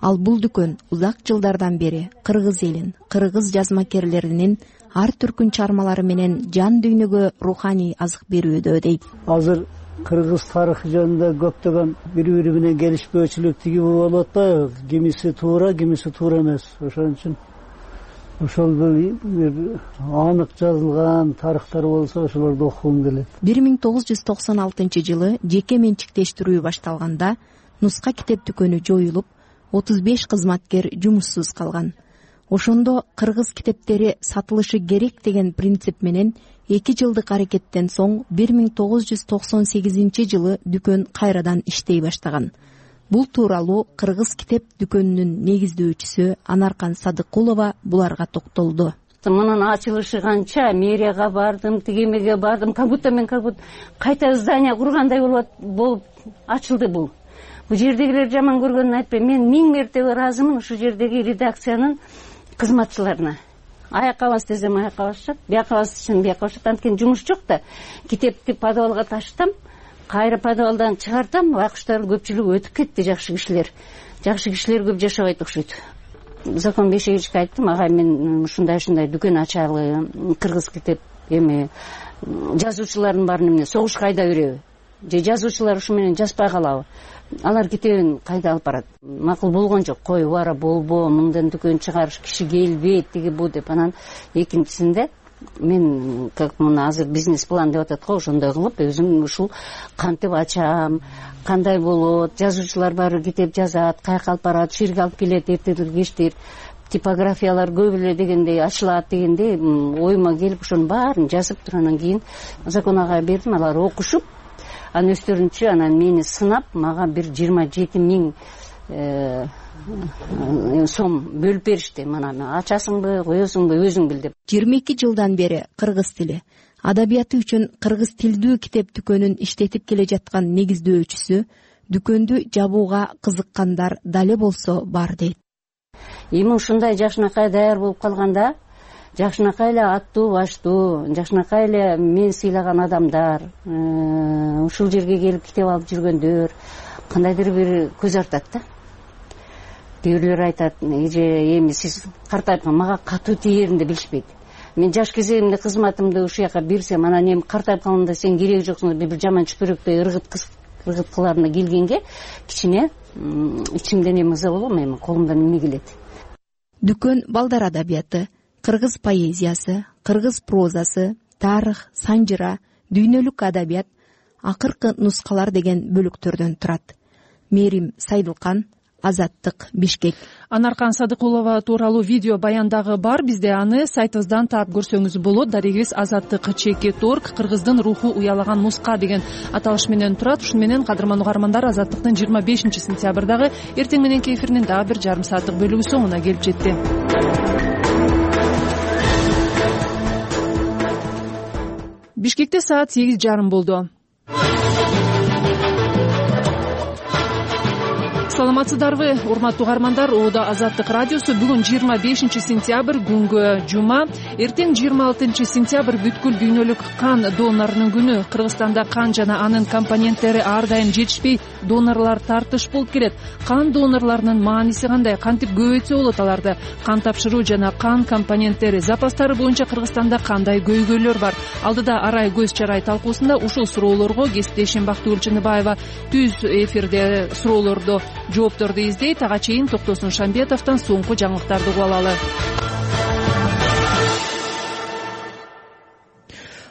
Ал бул дүкөн узак жылдардан бери кыргыз элин, кыргыз жазмакерлеринин ар түркүн чармалары менен жан дүйнөгө руханий азык берүүдө дейт. Азыр кыргыз тарыхы жөнүндө көптөгөн бири-бири менен келишпөөчүлүк тиги болуп атпайбы? Кимиси туура, кимиси туура эмес. Ошон үчүн ошол бир анык жазылган тарыхтар болсо ошолорду окугум келет. 1996 жылы жеке менчиктештирүү башталганда нуска китеп дүкөнү жоюлуп, 35 кызматкер жумуссуз калган. Ошондо кыргыз китептери сатылышы керек деген принцип менен 2 жылдык аракеттен соң 1998 жылы дүкөн кайрадан иштей баштаган. Бул тууралуу кыргыз китеп дүкөнүнүн негиздөөчүсү Анаркан Садыкулова буларга токтолду. Мунун ачылышы канча мэрияга бардым, тигемеге бардым, как будто кайта здание кургандай болуп ачылды бул. Бул жердегилер жаман көргөнүн айтпайм. Мен 1000 мертебе ыраазымын ушу жердеги редакциянын кызматчыларына. Аякка бас десем аякка басышат, бияка бас десем бияка басышат. Анткени жумуш жок да. Китепти подвалга таштам, кайра подвалдан чыгартам, байкуштар көпчүлүгү өтүп кетти, жакшы кишилер. Жакшы кишилер көп жашабайт окшойт. Закон Бешевичке айттым, ага мен ушундай дүкөн ачалы, кыргыз китеп эми жазуучулардын баарын эмне согушка айда береби? Же жазуучулар ушу менен жазбай калабы? Алар китебин кайда алып барат? Макул болгон жок. Кой бара болбо, мындан дүкөн чыгарыш киши келбейт, тиги бу деп. Анан экинчисинде мен как мына азыр бизнес план деп атат го, ошондой кылып өзүм ушул кантип ачам, кандай болот, жазуучулар баары китеп жазат, каяка алып барат, ушул жерге алып келет, эртелер кечтир, типографиялар көп эле дегендей ачылат дегендей оюма келип ошонун баарын жазып туруп анан кийин закон ага бердим, алар окушуп анан өздөрүнчө анан мени сынап мага бир 27 000 сом бөлүп беришти. Мына ачасыңбы, коесуңбу, өзүң бил деп. 22 жылдан бери кыргыз тили, адабияты үчүн кыргыз тилдүү китеп дүкөнүн иштетип келе жаткан негиздөөчүсү, дүкөндү жабууга кызыккандар дале болсо бар дейт. Эми ушундай жакшынакай даяр болуп калганда, жакшынакай эле аттуу баштуу, жакшынакай эле мен сыйлаган адамдар, ушул жерге келип китеп алып жүргөндөр кандайдыр бир көз артат да. Бирлер айтат, эми сиз картайып мага катуу тиерин деп билишпейт. Мен жаш кезимде кызматымды ушул жака берсем, анан эми картайып калганда сен кереги жоксуң деп бир жаман чүпүрөктөй ыргыт кыларына келгенге кичине ичимден эми ыза болом, эми колумдан эмне келет. Дүкөн балдар адабияты, кыргыз поэзиясы, кыргыз прозасы, тарых, санжыра, дүйнөлүк адабият, акыркы нускалар деген бөлүктөрдөн турат. Мерим Сайдылкан, Азаттык, Бишкек. Анаркан Садыкулова тууралуу видео баяндагы бар, бизде аны сайтыбыздан таап көрсөңүз болот. Дарегибиз Азаттык.org, кыргыздын руху уялаган нуска деген аталыш менен турат. Ушуну менен кадырман угармандар, Азаттыктын 25-сентябрдагы эртең мененки эфиринин дагы бир жарым сааттык бөлүгү соңуна келип жетти. Бишкекте саат 8:30 болду. Саламатсыздарбы, урматтуу угармандар? Оодо Азаттык радиосу. Бүгүн 25-сентябрь, күнгө жума. Эртең 26-сентябрь бүткүл дүйнөлүк кан донорунун күнү. Кыргызстанда кан жана анын компоненттери ар дайым жетишпей, донорлор тартыш болуп келет. Кан донорлорунун мааниси кандай? Кантип көбөйтсө болот аларды? Кан тапшыруу жана кан компоненттери запастары боюнча Кыргызстанда кандай көйгөйлөр бар? Алдыда арай көз чарай талкуусунда ушул суроолорго кесиптешим Бактыгүл Чыныбаева түз эфирде суроолорду жоопторду издейт. Ага чейин Токтосун Шамбетовдон соңку жаңылыктарды угуп алалы.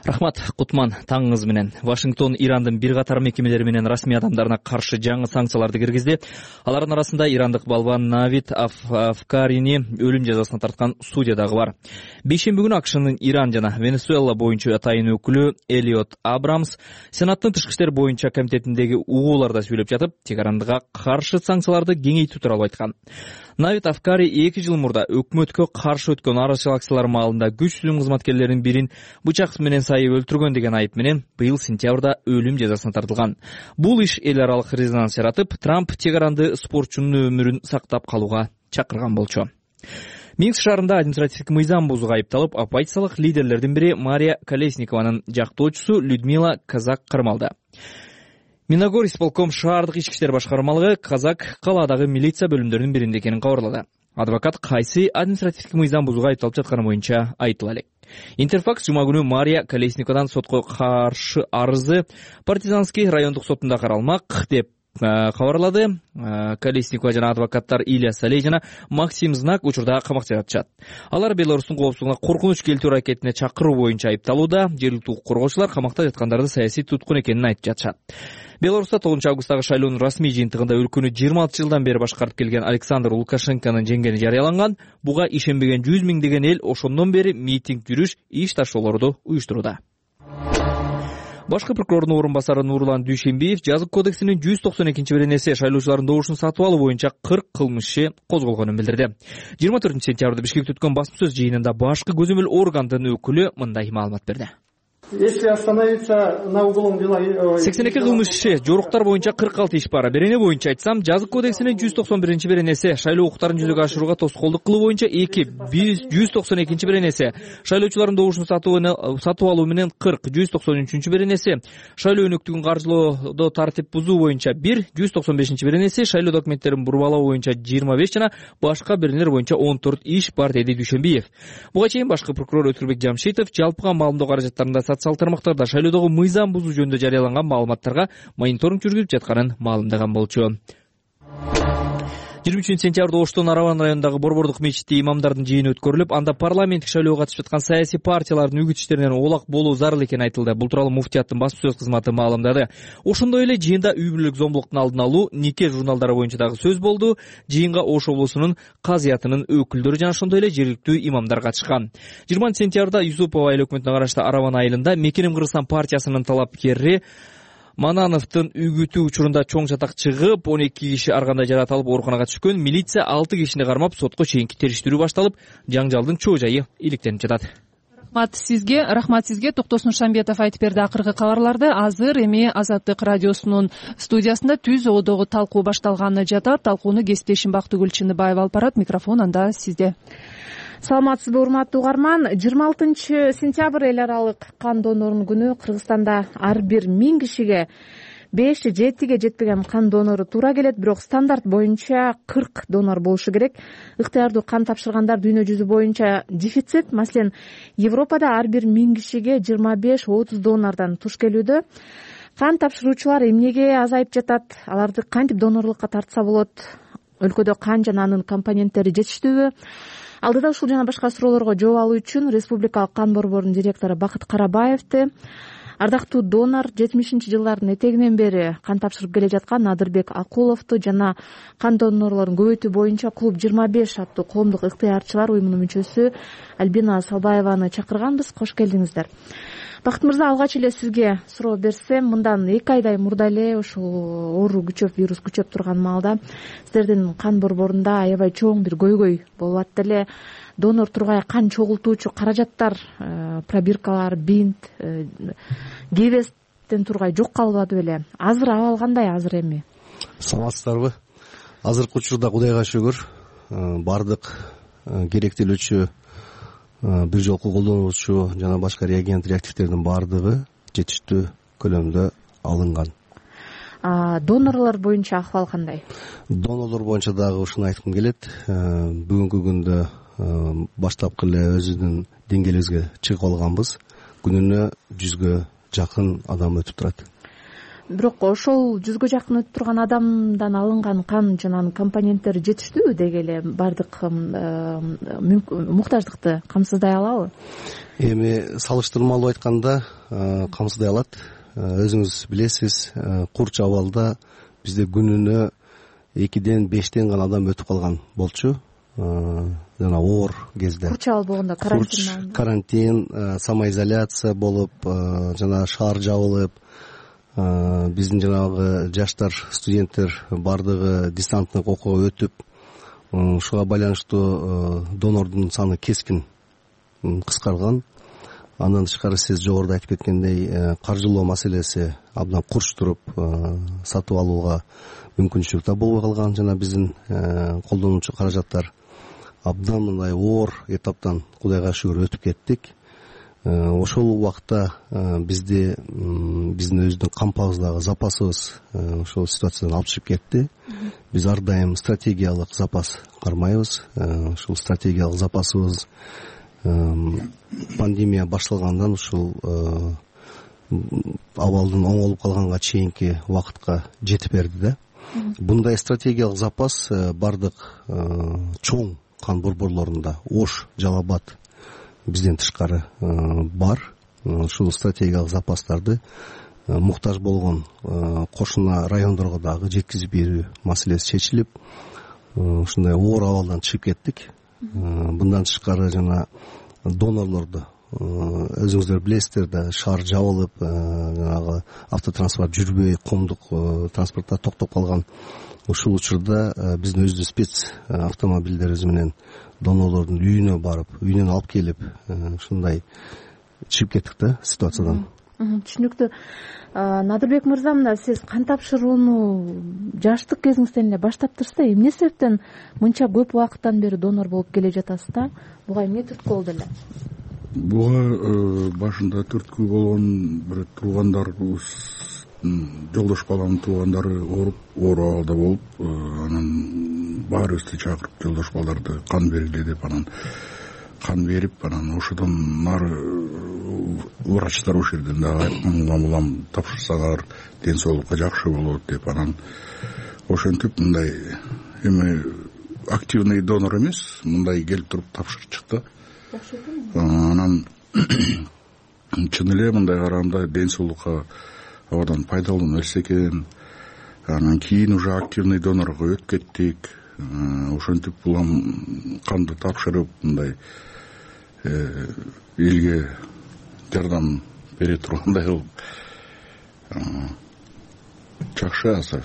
Рахмат, Кутман, таңыңыз менен. Вашингтон Ирандын бир катар мекемелери менен расмий адамдарына каршы жаңы санкцияларды киргизди. Алардын арасында ирандык балбан Навид Афкарини өлүм жазасына тарткан судья дагы бар. Бейшемби күнү АКШнын Иран жана Венесуэла боюнча атайын өкүлү Элиот Абрамс Сенаттын тышкы иштер боюнча комитетиндеги угууларда сүйлөп жатып, Тегаранга каршы санкцияларды кеңейтүү тууралуу айткан. Навид Афкари 2 жыл мурда өкмөткө каршы өткөн арачылык акциялар маалында күч түзүм кызматкерлеринин бирин бычак менен сайып өлтүргөн деген айып менен быйыл сентябрда өлүм жазасына тартылган. Бул иш эл аралык резонанс жаратып, Трамп Тегаранды спортчунун өмүрүн сактап калууга чакырган болчу. Минск шаарында административдик мыйзам бузууга айыпталып, оппозициялык лидерлердин бири Мария Колесникованын жактоочусу Людмила Казак кармалды. Миногор исполком шаардык ички иштер башкармалыгы Казак калаадагы милиция бөлүмдөрүнүн биринде экенин кабарлады. Адвокат кайсы административдик мыйзам бузууга айыпталып жатканы боюнча айтыла элек. Интерфакс жума күнү Мария Колесниковадан сотко каршы арызы Партизанский райондук сотунда каралмак деп кабарлады. Колесникова жана адвокаттар Илья Салей жана Максим Знак учурда камакта жатышат. Алар Беларустун коопсуздугуна коркунуч келтирүү аракетине чакыруу боюнча айыпталууда. Жергиликтүү укук коргоочулар камакта жаткандарды саясий туткун экенин айтып жатышат. Беларуста 9-августтагы шайлоонун расмий жыйынтыгында өлкөнү 26 жылдан бери башкарып келген Александр Лукашенконун жеңгени жарыяланган. Буга ишенбеген 100 миңдеген эл ошондон бери митинг, жүрүш, иш ташоолорду уюштурууда. Башкы прокурордун орун басары Нурлан Дүйшембиев жазык кодексинин 192-беренеси шайлоочулардын добушун сатып алуу боюнча 40 кылмыш козголгонун билдирди. 24-сентябрда Бишкекте өткөн басма сөз жыйынында башкы көзөмөл органдын өкүлү мындай маалымат берди. Если остановиться на углом дела 82 кылмыш иши, жоруктар боюнча 46 иш бар. Берене боюнча айтсам, жазык кодексинин 191-беренеси шайлоо укуктарын жүзөгө ашырууга тоскоолдук кылуу боюнча 192-беренеси шайлоочулардын добушун сатып алуу менен 40, 193-беренеси шайлоо өнөктүгүн каржылоодо тартип бузуу боюнча 1, 195-беренеси шайлоо документтерин бурмалоо боюнча 25 жана башка беренелер боюнча 14 иш бар, деди Дүйшембиев. Буга чейин башкы прокурор Өткүрбек Жамшитов жалпыга маалымдоо каражаттарында социал тармактарда шайлоодогу мыйзам бузуу жөнүндө жарыяланган маалыматтарга мониторинг жүргүзүп жатканын маалымдаган болчу. 23-сентябрда Оштун Араван районундагы Борбордук мечитте имамдардын жыйыны өткөрүлүп, анда парламенттик шайлоого катышып жаткан саясий партиялардын үгүт иштеринен оолак болуу зарыл экени айтылды. Бул тууралуу муфтияттын басма сөз кызматы маалымдады. Ошондой эле жыйында үй бүлөлүк зомбулуктун алдын алуу, нике журналдары боюнча дагы сөз болду. Жыйынга Ош облусунун казыятынын өкүлдөрү жана ошондой эле жергиликтүү имамдар катышкан. 20-сентябрда Юсупова айыл өкмөтүнө караштуу Араван айылында Мекеним Кыргызстан партиясынын талапкери Манановдун үгүтү учурунда чоң чатак чыгып, 12 киши ар кандай жаракат алып ооруканага түшкөн. Милиция 6 кишини кармап, сотко чейинки териштирүү башталып, жаңжалдын чоо жайы иликтенип жатат. рахмат сизге. Токтосун Шамбетов айтып берди акыркы кабарларды. Азыр эми Азаттык радиосунун студиясында түз оодогу талкуу башталганы жатат. Талкууну кесиптешим Бактыгүл Чыныбаева алып барат. Микрофон анда сизде. Саламатсызбы урматтуу угарман. 26 сентябрь эл аралык кан донорунун күнү. Кыргызстанда ар бир 1000 кишиге 5-7 жетпеген кан донору туура келет, бирок стандарт боюнча 40 донор болушу керек. Ыктыярдуу кан тапшыргандар дүйнө жүзү боюнча дефицит. Маселен, Европада ар бир 1000 кишиге 25-30 донордон туш келүүдө. Кан тапшыруучулар эмнеге азайып жатат? Аларды кантип донорлукка тартса болот? Өлкөдө кан жана анын компоненттери жетиштүүбү? Алдыда ушул жана башка суроолорго жооп алуу үчүн Республикалык кан борборунун директору Бакыт Карабаевди, ардактуу донор 70-жылдардын этегинен бери кан тапшырып келе жаткан Надырбек Акуловду жана кан донорлорун көбөйтүү боюнча клуб 25 аттуу коомдук ыктыярчылар уюмунун мүчөсү Альбина Салбаеваны чакырганбыз. Кош келдиңиздер. Бакыт мырза, алгач эле сизге суроо берсем, мындан 2 айдай мурда эле ушул оору күчөп, вирус күчөп турган маалда сиздердин кан борборунда аябай чоң бир көйгөй болуп атты эле. Донор тургай кан чогултуучу каражаттар, пробиркалар, бинт, гебестен тургай жок калбады беле. Азыр абал кандай? Азыр эми саламатсыздарбы? Азыркы учурда Кудайга шүгүр, бардык керектелүүчү бир жолку колдонуучу жана башка реагент реактивдердин баардыгы жетиштүү көлөмдө алынган. Донорлор боюнча акыбал кандай? Донорлор боюнча дагы ушуну айткым келет. Бүгүнкү күндө баштапкы эле өзүбүздүн деңгээлибизге чыгып алганбыз. Күнүнө 100гө жакын адам өтүп турат. Бирок ошол 100гө жакын өтүп турган адамдан алынган кан жана анын компоненттери жетиштүүбү деги эле? Бардык муктаждыкты камсыздай алабы? Эми салыштырмалуу айтканда камсыздай алат. Өзүңүз билесиз, курч абалда бизде күнүнө 2ден 5тен гана адам өтүп калган болчу. Жана оор кезде курч абал болгондо карантин, самоизоляция болуп, жана шаар жабылып, биздин жанагы жаштар, студенттер бардыгы дистанттык окууга өтүп, ушуга байланыштуу донордун саны кескин кыскарган. Андан тышкары сиз жогоруда айтып кеткендей, каржылоо маселеси абдан курч туруп, сатып алууга мүмкүнчүлүк да болбой калган. Жана биздин колдонуучу каражаттар абдан мындай оор этаптан Кудайга шүгүр өтүп кеттик. Ошол убакта биздин өзүбүздүн кампабыздагы запасыбыз ошол ситуациядан алып чыгып кетти. Биз ар дайым стратегиялык запас кармайбыз. Ушул стратегиялык запасыбыз пандемия башталгандан ушул абалдын оңолуп калганга чейинки убакытка жетип берди да. Мындай стратегиялык запас бардык чоң кан борборлорунда, Ош, Жалал Абад бизден тышкары бар. Ушул стратегиялык запастарды муктаж болгон кошуна райондорго дагы жеткизип берүү маселеси чечилип, ушундай оор абалдан чыгып кеттик. Мындан тышкары жана донорлорду өзүңүздөр билесиздер да, шаар жабылып, жанагы автотранспорт жүрбөй, коомдук транспорттар токтоп калган. Ушул учурда биздин өзүбүздүн спец автомобилдерибиз менен донорлордун үйүнө барып, үйүнөн алып келип, ушундай чыгып кеттик да ситуациядан. Түшүнүктүү. Надырбек мырза, мына сиз кан тапшырууну жаштык кезиңизден эле баштаптырсыз да, эмне себептен мынча көп убакыттан бери донор болуп келе жатасыз да? Буга эмне түрткү болду эле? Буга башында түрткү болгон бир туугандарыбыз, жолдош баламдын туугандары ооруп, оор абалда болуп, анан баарыбызды чакырып, жолдош балдарды кан бергиле деп, анан кан берип, анан ошодон нары врачтар ошол жерден дагы айткан, улам тапшырсаңар ден соолукка жакшы болот деп, анан ошентип мындай эми активный донор эмес, мындай келип туруп тапшырып чыкты. Анан чын эле мындай караганда ден соолукка абадан пайдалуу нерсе экен. Анан кийин уже активный донорго өтүп кеттик. Ошентип улам канды тапшырып, мындай элге жардам бере тургандай болуп жакшы азыр.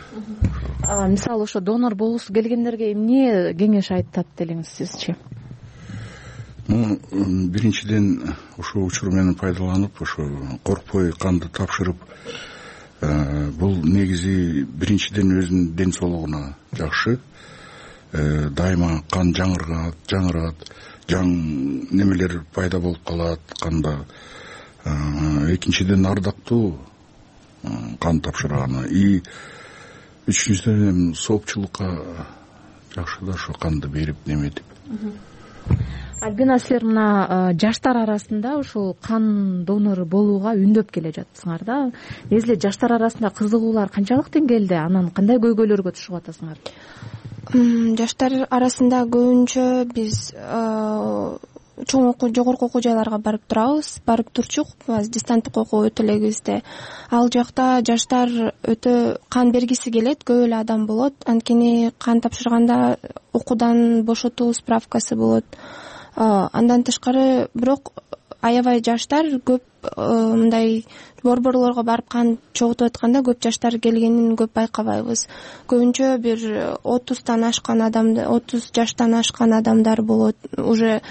Мисалы ошо донор болгусу келгендерге эмне кеңеш айтат делиңиз сизчи? Биринчиден ушул учур менен пайдаланып ошо коркпой канды тапшырып, бул негизи биринчиден өзүнүн ден соолугуна жакшы. Дайыма кан жаңырат, жаң немелер пайда болуп калат канда. Экинчиден ардактуу кан тапшырганы. И үчүнчүдөн соопчулукка жакшы да ошо канды берип неметип. Альбина, силер мына жаштар арасында ушул кан донору болууга үндөп келе жатсыңар да. Негизи жаштар арасында кызыгуулар канчалык деңгээлде, анан кандай көйгөйлөргө түшүп атасыңар? Жаштар арасында көбүнчө биз чоң жогорку окуу жайларга барып турчук. Дистанттык окуу өтө эле кезде. Ал жакта жаштар өтө кан бергиси келет, көп эле адам болот. Анткени кан тапшырганда окуудан бошотуу справкасы болот. Андан тышкары бирок аябай жаштар көп мындай борборлорго барып кан чогултуп атканда көп жаштар келгенин көп байкабайбыз. Көбүнчө бир 30 жаштан ашкан адамдар болот. Уже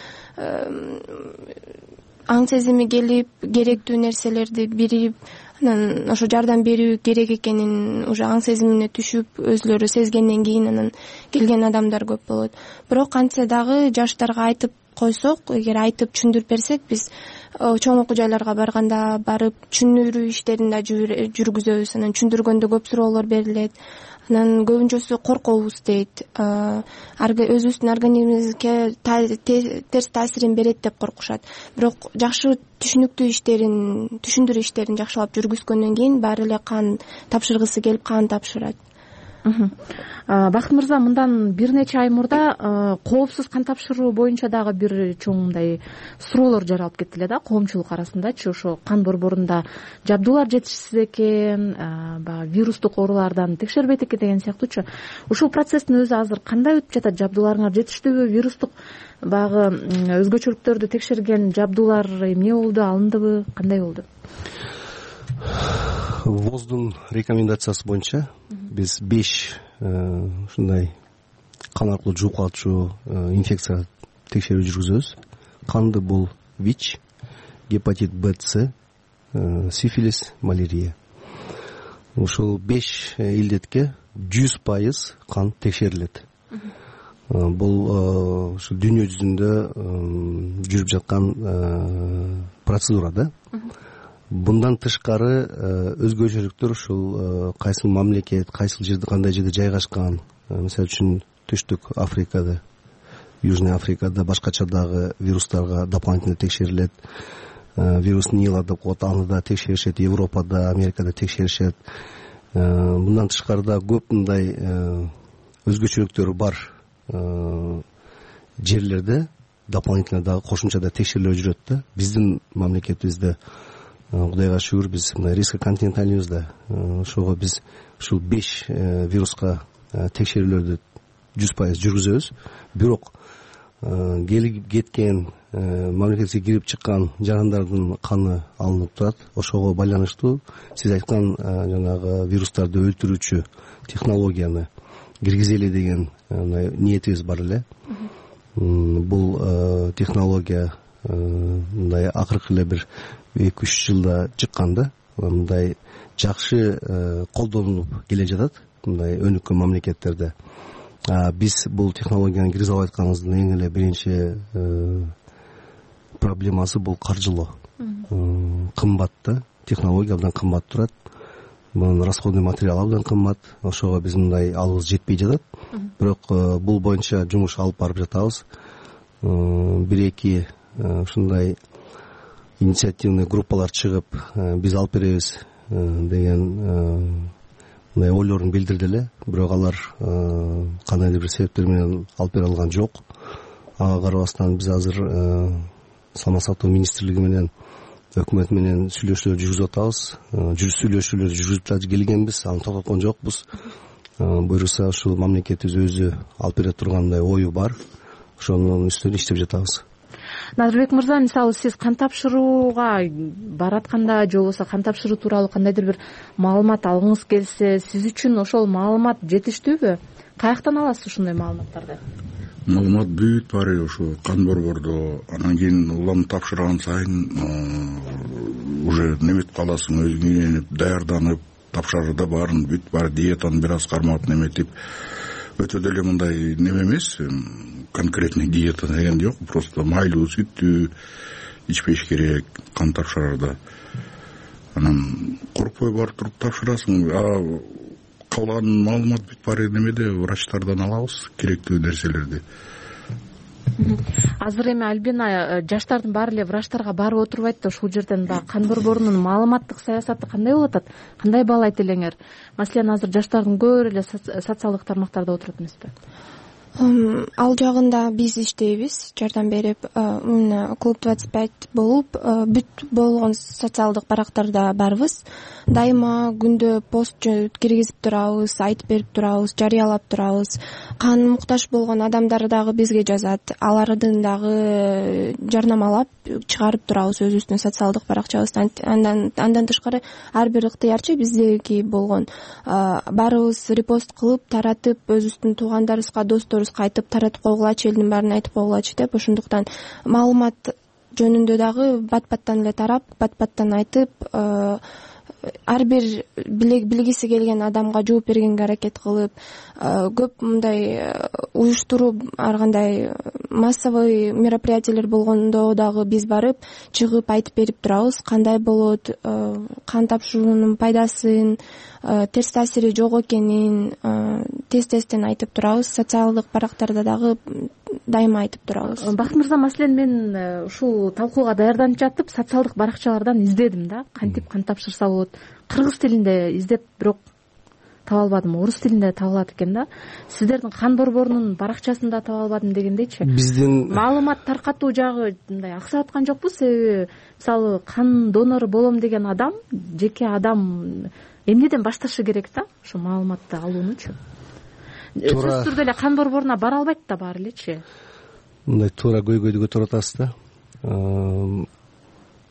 аң сезими келип, керектүү нерселерди бирип, анан ошо жардам берүү керек экенин уже аң сезимине түшүп, өзүлөрү сезгенден кийин анан келген адамдар көп болот. Бирок кантсе дагы жаштарга айтып койсок, эгер айтып түшүндүрүп берсек, биз чоң окуу жайларга барганда барып түшүндүрүү иштерин да жүргүзөбүз. Анан түшүндүргөндө көп суроолор берилет. Анан көбүнчөсү коркобуз дейт. Өзүбүздүн организмибизге терс таасирин берет деп коркушат. Бирок жакшы түшүндүрүү иштерин жакшылап жүргүзгөндөн кийин баары эле кан тапшыргысы келип кан тапшырат. Бакыт мырза, мындан бир нече ай мурда коопсуз кан тапшыруу боюнча дагы бир чоң мындай суроолор жаралып кетти эле да коомчулук арасындачы. Ошо кан борборунда жабдуулар жетишсиз экен, баягы вирустук оорулардан текшербейт экен деген сыяктуучу. Ушул процесстин өзү азыр кандай өтүп жатат? Жабдууларыңар жетиштүүбү? Вирустук баягы өзгөчөлүктөрдү текшерген жабдуулар эмне болду, алындыбы, кандай болду? ВОЗдун рекомендациясы боюнча биз 5 ушундай кан аркылуу жугуп инфекция текшерүү жүргүзөбүз. Канды бул ВИЧ, гепатит Б, С, сифилис, малярия. Ушул 5 илдетке 100% кан текшерилет. Бул ушу дүйнө жүзүндө жүрүп жаткан процедура да. Bundan тышкары өзгөчөлүктөр ушул кайсыл мамлекет, кайсыл жерде, кандай жерде жайгашкан. Мисалы үчүн Түштүк Африкада, Южный Африкада башкача дагы вирустарга дополнительно текшерилет. Вирус Нила деп коет, аны да текшеришет. Европада, Америкада текшеришет. Bundan тышкары да көп мындай өзгөчөлүктөр бар жерлерде дополнительно дагы кошумча да текшерилип жүрөт да. Биздин мамлекетибизде Кудайга шүгүр биз мына рискоконтиненталибизде ошого биз ушул 5 вируска текшерүүлөрдү 100% жүргүзөбүз. Бирок келип кеткен мамлекетке кирип чыккан жарандардын каны алынып турат. Ошого байланыштуу сиз айткан жанагы вирустарды өлтүрүүчү технологияны киргизели деген ниетибиз бар эле. Бул технология мындай акыркы эле бир 2-3 жылда чыккан да. Мындай жакшы колдонулуп келе жатат мындай өнүккөн мамлекеттерде. Биз бул технологияны киргизе албай атканыбыздын эң эле биринчи проблемасы бул каржылоо. Кымбат да, технология абдан кымбат турат. Мунун расходный материалы абдан кымбат. Ошого биз мындай алыбыз жетпей жатат. Бирок бул боюнча жумуш алып барып жатабыз. 1-2 ушундай инициативный группалар чыгып, биз алып беребиз деген мындай ойлорун билдирди эле. Бирок алар кандайдыр бир себептер менен алып бере алган жок. Ага карабастан биз азыр Саламат сактоо министрлиги менен өкмөт менен сүйлөшүүлөр жүргүзүп атабыз. Сүйлөшүүлөр жүргүзүп келгенбиз, аны токтоткон жокпуз. Буюрса ушул мамлекетибиз өзү алып бере тургандай ою бар. Ошонун үстүнөн иштеп жатабыз. Назырбек мырза, мисалы сиз кан тапшырууга баратканда же болбосо кан тапшыруу тууралуу кандайдыр бир маалымат алгыңыз келсе, сиз үчүн ошол маалымат жетиштүүбү? Каяктан аласыз ушундай маалыматтарды? маалымат бүт баары ошо кан борбордо. Анан кийин улам тапшырган сайын уже неметип каласың, өзүң үйрөнүп, даярданып, тапшырды баарын бүт баары диетаны бир аз кармап неметип, өтө деле мындай неме эмес, конкретный диета деген жок, просто майлуу сүттү ичпеш керек кан тапшырарда. Анан коркпой барып туруп тапшырасың. Калган маалымат бүт баары немеде, врачтардан алабыз керектүү нерселерди. Азыр эми Альбина, жаштардын баары эле врачтарга барып отурбайт да, ушул жерден баягы кан борборунун маалыматтык саясаты кандай болуп атат? Кандай баалайт элеңер? Маселен, азыр жаштардын көбүрө эле социалдык тармактарда отурат эмеспи? Ал жагында биз иштейбиз, жардам берип, клуб 25 болуп, бүт болгон социалдык барактарда барбыз. Дайыма күндө пост киргизип турабыз, айтып берип турабыз, жарыялап турабыз. Кан муктаж болгон адамдар дагы бизге жазат, алардын дагы жарнамалап чыгарып турабыз өзүбүздүн социалдык баракчабыздан. Андан тышкары ар бир ыктыярчы биздеги болгон баарыбыз репост кылып, таратып, өзүбүздүн туугандарыбызга, досторубузга айтып таратып койгулачы, элдин баарына айтып койгулачы деп, ошондуктан маалымат жөнүндө дагы бат-баттан эле тарап, бат-баттан айтып, ар бир билгиси келген адамга жооп бергенге аракет кылып, көп мындай уюштуруу, ар кандай массовый мероприятиелер болгондо дагы биз барып, чыгып айтып берип турабыз, кандай болот, кан тапшыруунун пайдасын, терс таасири жок экенин тез-тезден айтып турабыз. Социалдык барактарда дагы дайыма айтып турабыз. Бакыт мырза, маселен мен ушул талкууга даярданып жатып, социалдык баракчалардан издедим да, кантип кан тапшырса болот. Кыргыз тилинде издеп, бирок таба албадым. Орус тилинде табылат экен да. Сиздердин кан борборунун баракчасында таба албадым дегендейчи. Биздин маалымат таркатуу жагы мындай аксап аткан жокпу? Себеби мисалы кан донору болом деген адам, жеке адам эмнеден башташы керек да, ошо маалыматты алуунучу? Сөзсүз түрдө эле кан борборуна бара албайт да баары элечи. Мындай туура көйгөйдү көтөрүп атасыз да.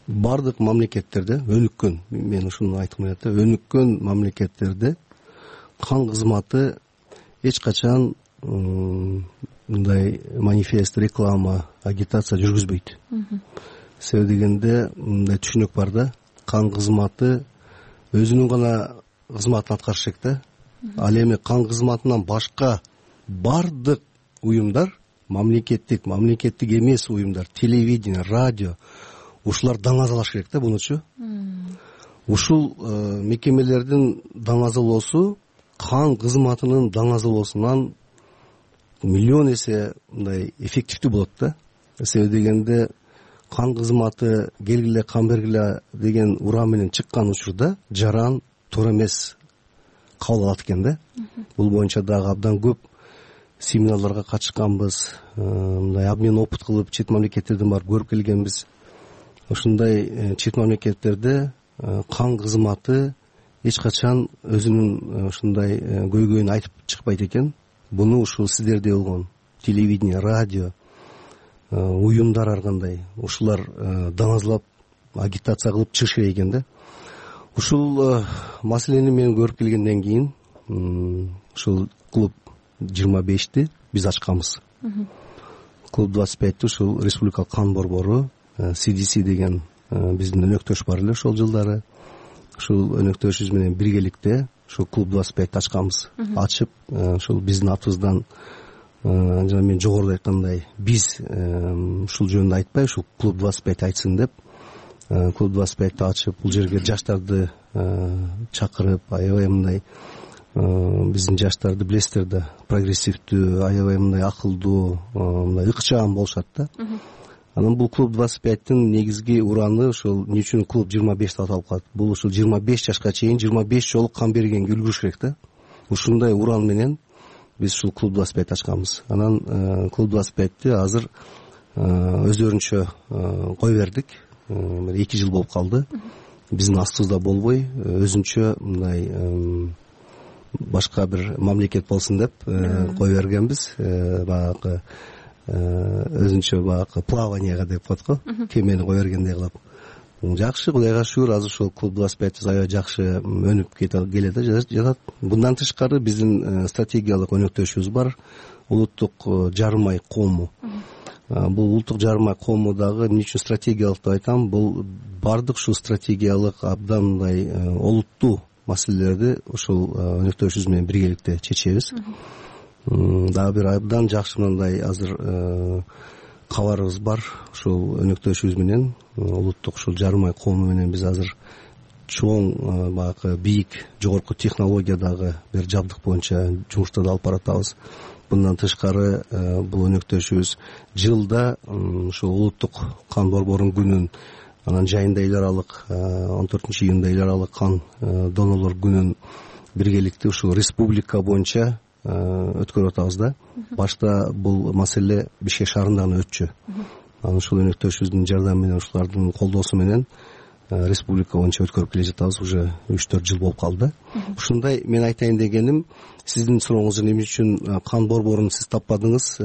Бардык мамлекеттерде, өнүккөн, мен ушуну айткым келет да, өнүккөн мамлекеттерде кан кызматы эч качан мындай манифест, реклама, агитация жүргүзбөйт. Себеби дегенде мындай түшүнүк бар да, кан кызматы өзүнүн гана кызматын аткарыш керек да. Ал эми кан кызматынан башка бардык уюмдар, мамлекеттик эмес уюмдар, телевидение, радио, ушулар даңазалаш керек да бунучу. Ушул мекемелердин даңазалоосу кан кызматынын даңазалоосунан миллион эсе мындай эффективдүү болот да. Себеби дегенде кан кызматы келгиле, кан бергиле деген уран менен чыккан учурда жаран туура эмес кабыл алат экен да. Бул боюнча дагы абдан көп семинарларга катышканбыз, мындай обмен опыт кылып, чет мамлекеттерден барып көрүп келгенбиз. Ошондой чет мамлекеттерде кан кызматы эч качан өзүнүн ушундай көйгөйүн айтып чыкпайт экен. Буну ушул сиздерде болгон телевидение, радио, уюмдар ар кандай ушулар даңазалап, агитация кылып чыгыш керек экен да. Ушул маселени мен көрүп келгенден кийин ушул клуб 25-ти биз ачканбыз. Клуб 25-ти ушул республикалык кан борбору, CDC деген биздин өнөктөш бар эле ошол жылдары. Ушул өнөктөшүбүз менен биргеликте ушул клуб 25-ти ачканбыз. Ачып, ушул биздин атыбыздан жана мен жогоруда айткандай, биз ушул жөнүндө айтпай, ушул клуб 25 айтсын деп, клуб 25-ти ачып, бул жерге жаштарды чакырып, аябай мындай биздин жаштарды билесиздер да, прогрессивдүү, аябай мындай акылдуу, мындай ыкчам болушат да. Анан бул клуб 25-тин негизги ураны ушул эмне үчүн клуб 25 деп аталып калат? Бул ушул 25 жашка чейин 25 жолу кан бергенге үлгүрүш керек да. Ушундай уран менен биз ушул клуб 25 ачканбыз. Анан клуб 25-ти азыр өздөрүнчө кое бердик. 2 жыл болуп калды. Биздин астыбызда болбой, өзүнчө мындай башка бир мамлекет болсун деп кое бергенбиз. Баягы өзүнчө баягы плаванияга деп коет го, кемени кое бергендей кылып. Жакшы, Кудайга шүгүр, азыр ушул клуб 25 аябай жакшы өнүп келет да жатат. Bundan тышкары биздин стратегиялык өнөктөшүбүз бар. улуттук жарым ай коому. Бул улуттук жарым ай коому дагы эмне үчүн стратегиялык деп айтам, бул бардык ушул стратегиялык абдан мындай олуттуу маселелерди ушул өнөктөшүбүз менен биргеликте чечебиз. Дагы бир абдан жакшы мындай азыр кабарыбыз бар. Ушул өнөктөшүбүз менен улуттук ушул жарым ай коому менен биз азыр чоң баягы бийик жогорку технологиядагы бир жабдык боюнча жумуштарды алып баратабыз. Bundan тышкары бул өнөктөшүбүз жылда ушул улуттук кан борборунун күнүн, анан жайында эл аралык 14-июнда эл аралык кан донорлор күнүн биргеликте ушул республика боюнча өткөрүп атабыз да. Башта бул маселе Бишкек шаарында гана өтчү. Анан ушул өнөктөшүбүздүн жардамы менен, ушулардын колдоосу менен республика боюнча өткөрүп келе жатабыз. Уже 3-4 жыл болуп калды. Ушундай мен айтайын дегеним, сиздин сурооңуз эмне үчүн кан борборун сиз таппадыңыз?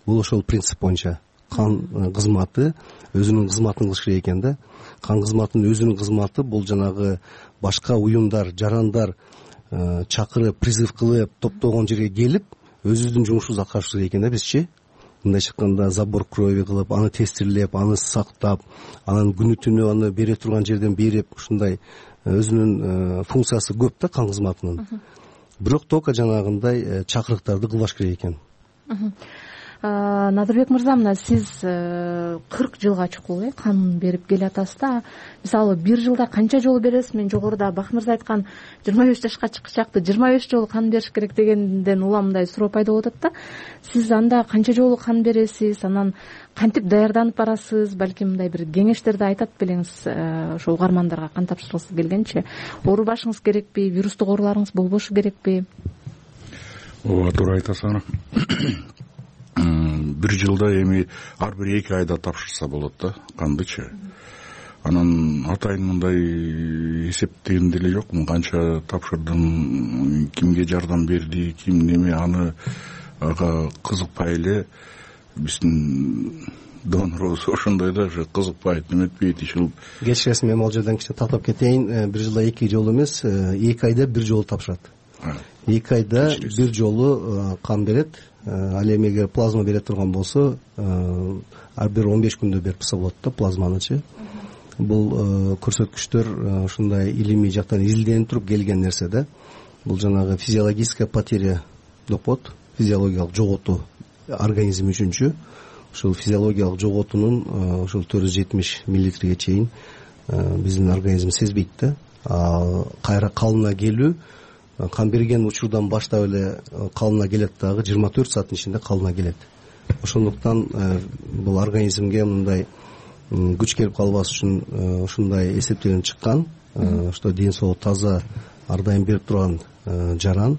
Бул ошол принцип боюнча кан кызматы өзүнүн кызматын кылыш керек экен да. Кан кызматынын өзүнүн кызматы бул жанагы башка уюмдар, жарандар чакырып, призыв кылып, топтогон жерге келип, өзүбүздүн жумушубузду аткарышыбыз керек экен да бизчи. Мындай чыкканда забор крови кылып, аны тестирлеп, аны сактап, анан күнү түнү аны бере турган жерден берип, ушундай өзүнүн функциясы көп да кан кызматынын. Бирок только жанагындай чакырыктарды кылбаш керек экен. Надырбек мырза, мына сиз 40 жылга чукул кан берип келатасыз да. Мисалы, бир жылда канча жолу бересиз? Мен жогоруда Бакыт мырза айткан 25 жашка чыкчакты 25 жолу кан бериш керек дегенден улам мындай суроо пайда болуп атат да. Сиз анда канча жолу кан бересиз? Анан кантип даярданып барасыз? Балким мындай бир кеңештерди айтат белеңиз ошо угармандарга кан тапшыргысы келгенче. Оорубашыңыз керекпи? Вирустук ооруларыңыз болбошу керекпи? Ооба, туура айтасың. Бир жылда эми ар бир 2 айда тапшырса болот да кандычы. Анан атайын мындай эсептеген деле жокмун, канча тапшырдым, кимге жардам берди, ким неме, аны ага кызыкпай эле биздин донорубуз ошондой да, кызыкпайт, неметпейт, ишил. Кечиресиз, мен ал жерден кичине тактап кетейин. Бир жылда 2 жолу эмес, 2 айда бир жолу тапшырат. 2 айда бир жолу кан берет. Ал эми эгер плазма бере турган болсо, ар бир 15 күндө берипсе болот да плазманычы. Бул көрсөткүчтөр ушундай илимий жактан изилденип туруп келген нерсе да. Бул жанагы физиологическая потеря деп коет, физиологиялык жоготуу организм үчүнчү. Ушул физиологиялык жоготуунун ушул 470 миллилитрге чейин биздин организм сезбейт да. Кайра калына келүү, кан берген учурдан баштап эле калына келет, дагы 24 сааттын ичинде калына келет. Ошондуктан бул организмге мындай күч келип калбас үчүн ушундай эсептелип чыккан, что ден соолук таза ар дайым берип турган жаран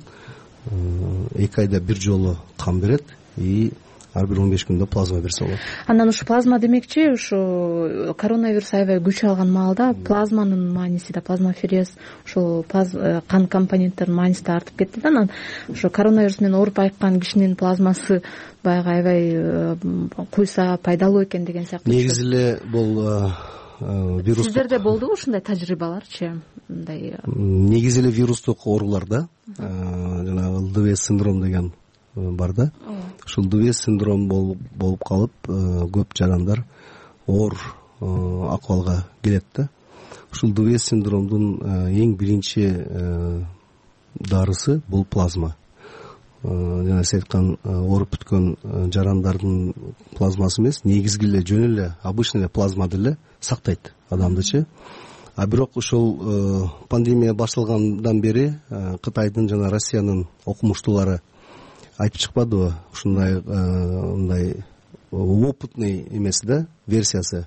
2 айда бир жолу кан берет и ар бир 15 күндө плазма берсе болот. Анан ушу плазма демекчи, ушу коронавирус аябай күч алган маалда плазманын мааниси да, плазмаферез, ушул кан компоненттеринин мааниси да артып кетти да. Анан ушу коронавирус менен ооруп айыккан кишинин плазмасы баягы аябай куйса пайдалуу экен деген сыяктуу. Негизи эле бул вирус. Сиздерде болдубу ушундай тажрыйбаларчы? Мындай негизи эле вирустук ооруларда жанагы ЛДВ синдром деген бар да. Ушул ЛДВ синдром болуп калып, көп жарандар оор акыбалга келет да. Ушул ЛДВ синдромдун эң биринчи дарысы бул плазма. Жана сиз айткан ооруп бүткөн жарандардын плазмасы эмес, негизги эле жөн эле обычный эле плазма деле сактайт адамдычы. А бирок ушул пандемия башталгандан бери Кытайдын жана Россиянын окумуштуулары айтып чыкпадыбы, ушундай мындай опытный эмес да версиясы,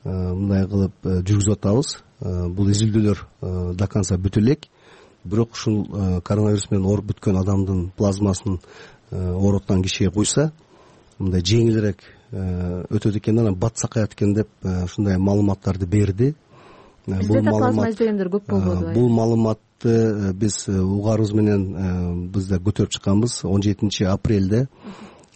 мындай кылып жүргүзүп атабыз. Бул изилдөөлөр до конца бүтө элек. Бирок ушул коронавирус менен ооруп бүткөн адамдын плазмасын ооруткан кишиге куйса, мындай жеңилирээк өтөт экен, анан бат сакаят экен деп ушундай маалыматтарды берди. Бизде да плазма издегендер көп болбодубу? Бул маалыматты биз угарыбыз менен бизде көтөрүп чыкканбыз 17 апрелде.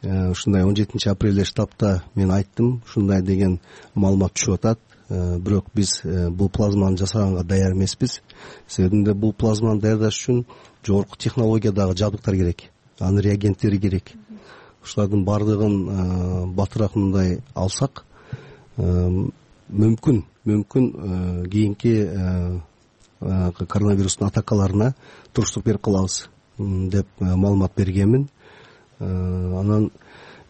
Ушундай 17 апрелде штабта мен айттым, ушундай деген маалымат түшүп атат. Бирок биз бул плазманы жасаганга даяр эмеспиз. Себебинде бул плазманы даярдаш үчүн жогорку технологиядагы жабдыктар керек, анын реагенттери керек. ушулардын баардыгын батыраак мындай алсак мүмкүн кийинки коронавирустун атакаларына туруштук берип калабыз деп маалымат бергенмин. Анан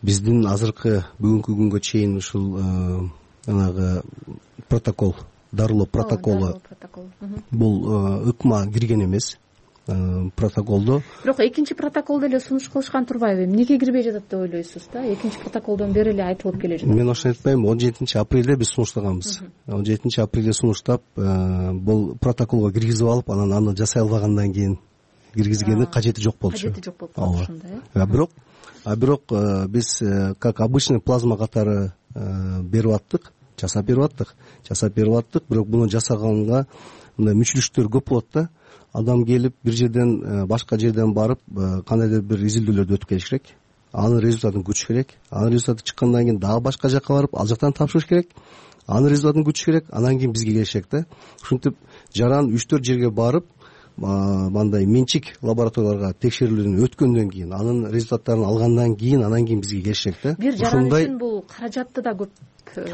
биздин азыркы бүгүнкү күнгө чейин ушул жанагы протокол, дарылоо протоколу бул ыкма кирген эмес. Протоколдо бирок экинчи протокол деле сунуш кылышкан турбайбы? Эмнеге кирбей жатат деп ойлойсуз да? Экинчи протоколдон бери эле айтылып келе жатат. Мен ошону айтпайм. 17-апрелде биз сунуштаганбыз. 17-апрелде сунуштап, бул протоколго киргизип алып, анан аны жасай албагандан кийин киргизгенин кажети жок болчу. Кажети жок болуп калды ошондо, бирок биз как обычный плазма катары берип аттык, жасап берип аттык, бирок буну жасаганга мындай мүчүлүштөр көп болот да. Адам келип бир жерден башка жерден барып кандайдыр бир изилдөөлөрдү өтүп келиш керек. Анын результатын күтүш керек. Анын результаты чыккандан кийин дагы башка жакка барып, ал жактан тапшырыш керек. Анын результатын күтүш керек. Анан кийин бизге келиш керек да. Ушинтип жаран 3-4 жерге барып, мындай менчик лабораторияларга текшерүүлөрдөн өткөндөн кийин, анын результаттарын алгандан кийин, анан кийин бизге келиш керек да. Бир жаран үчүн бул каражатты да көп.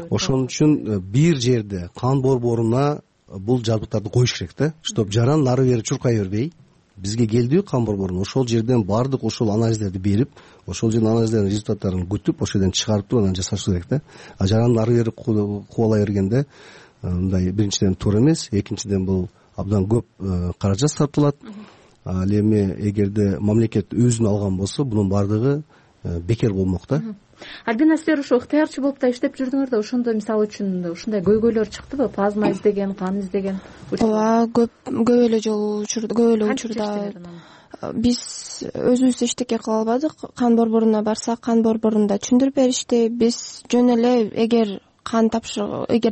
Ошон үчүн бир жерде кан борборуна бул жабдыктарды коюш керек да, чтоб жаран нары бери чуркай бербей, бизге келдиби кан борборуна, ошол жерден баардык ошол анализдерди берип, ошол жердин анализдердин результаттарын күтүп, ошол жерден чыгарып туруп анан жасаш керек да. Жаран нары бери кубалай бергенде мындай биринчиден туура эмес, экинчиден бул абдан көп каражат сарпталат. Ал эми эгерде мамлекет өзүн алган болсо, бунун баардыгы бекер болмок да. Альбина, силер ошо ыктыярчы болуп да иштеп жүрдүңөр да, ошондо мисалы үчүн ушундай көйгөйлөр чыктыбы? Плазма издеген, кан издеген? Ооба, көп эле жолу учурда, көп эле учурда биз өзүбүз эчтеке кыла албадык. Кан борборуна барсак, кан борборунда түшүндүрүп беришти. Биз жөн эле эгер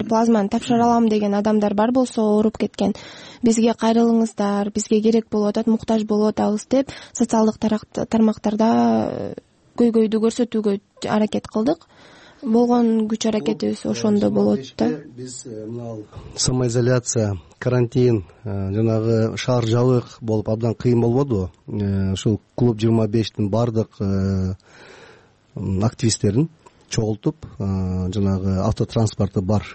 плазманы тапшыра алам деген адамдар бар болсо, ооруп кеткен, бизге кайрылыңыздар, бизге керек болуп атат, муктаж болуп атабыз деп социалдык тармактарда көйгөйдү көрсөтүүгө аракет кылдык. Болгон күч аракетибиз ошондо болот да. Биз мына самоизоляция, карантин, жанагы шаар жабык болуп абдан кыйын болбодубу? Ушул клуб 25-тин баардык активисттерин чогултуп, жанагы автотранспорты бар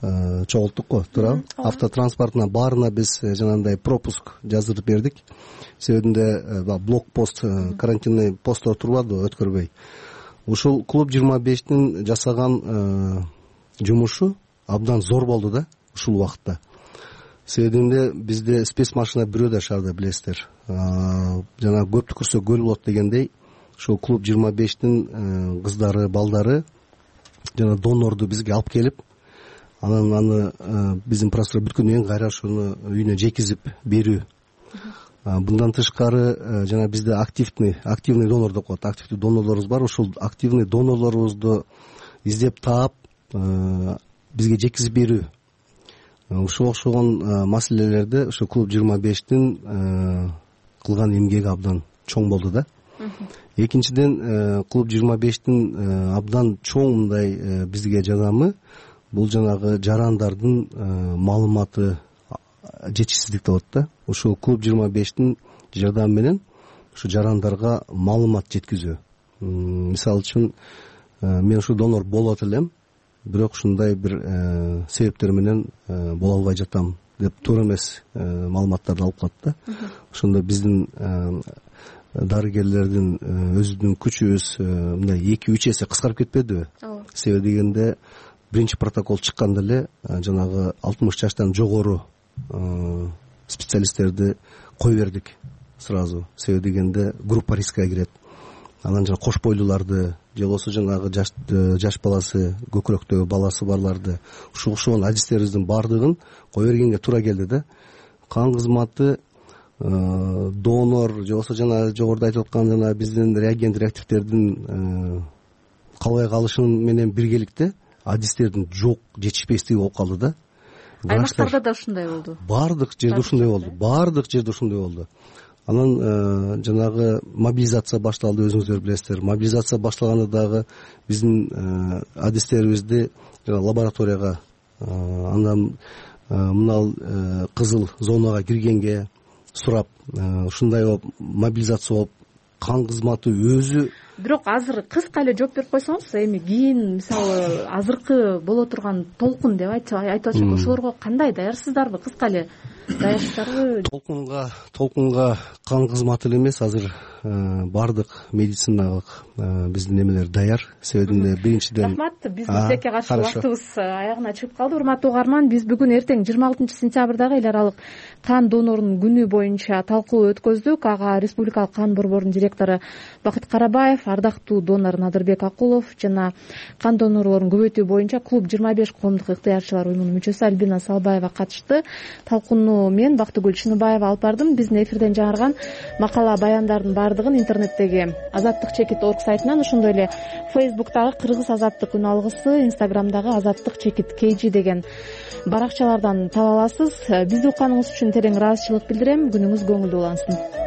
чогулттук го, туурабы? Автотранспортуна баарына биз жанагындай пропуск жаздырып бердик. Себебинде блокпост, карантинный посттор турбады, өткөрбөй. Ушул клуб 25-тин жасаган жумушу абдан зор болду да ушул убакытта. Себебинде бизде спецмашина бирөө да шаарда, билесиздер. Жана көп түкүрсө көл болот дегендей, ушул клуб 25-тин кыздары, балдары жана донорду бизге алып келип, анан аны биздин процедура бүткөндөн кийин кайра ошону үйүнө жекизип берүү. Bundan тышкары жана бизде активный донор деп коет. Активдүү донорлорубуз бар. Ошол активный донорлорубузду издеп таап, бизге жеткизип берүү. Ушуга окшогон маселелерде ошо клуб 25-тин кылган эмгеги абдан чоң болду да. Экинчиден, клуб 25-тин абдан чоң мындай бизге жардамы бул жанагы жарандардын маалыматы жетишсиздик деп атат да. Ушул клуб 25-тин жардамы менен ушу жарандарга маалымат жеткизүү. Мисалы үчүн, мен ушу донор болот элем, бирок ушундай бир себептер менен боло албай жатам деп туура эмес маалыматтарды алып калат да. Ошондо биздин дарыгерлердин өзүнүн күчүбүз мындай 2-3 эсе кыскарып кетпедиби? Себеби дегенде биринчи протокол чыкканда эле жанагы 60 жаштан жогору специалисттерди кое бердик сразу. Себеби дегенде группа рискке кирет. Анан жана кош бойлууларды, же болбосо жанагы жаш баласы, көкүрөктөгү баласы барларды, ушул адистерибиздин баардыгын кое бергенге туура келди да. Кан кызматы, донор, же болбосо жана жогоруда айтып аткан жана биздин реагент реактивдердин калбай калышы менен биргеликте адистердин жок жетишпестиги болуп калды да. Аймактарда да ушундай болду. Баардык жерде ушундай болду. Анан жанагы мобилизация башталды, өзүңүздөр билесиздер. Мобилизация башталганда дагы биздин адистерибизди лабораторияга, андан мына кызыл зонага киргенге сурап, ушундай болуп мобилизация болуп, кан кызматы өзү бирок азыр кыска эле жооп берип койсоңуз, эми кийин мисалы азыркы боло турган толкун деп айтып атышат, ошолорго кандай, даярсыздарбы? Кыска эле даярсыздарбы? Толкунга кан кызматы эле эмес, азыр баардык медициналык биздин эмелер даяр. Себебинде биринчиден рахмат, биздин тилекке каршы убактыбыз аягына чыгып калды. Урматтуу угарман, биз бүгүн эртең 26-сентябрдагы эл аралык кан донорунун күнү боюнча талкуу өткөздүк. Ага Республикалык кан борборунун директору Бакыт Карабаев, ардактуу донор Надырбек Акулов жана кан донорлорун көбөйтүү боюнча клуб 25 коомдук ыктыярчылар уюмунун мүчөсү Альбина Салбаева катышты. Талкууну мен Бактыгүл Чыныбаева алып бардым. Биздин эфирден жаңырган макала баяндардын баардыгын интернеттеги Азаттык чекит орг сайтынан, ошондой эле Facebook'тагы Кыргыз Азаттык күн алгысы, Instagram'дагы Азаттык чекит KG деген баракчалардан таба аласыз. Бизди укканыңыз үчүн терең ыраазычылык билдирем. Күнүңүз көңүлдүү улансын.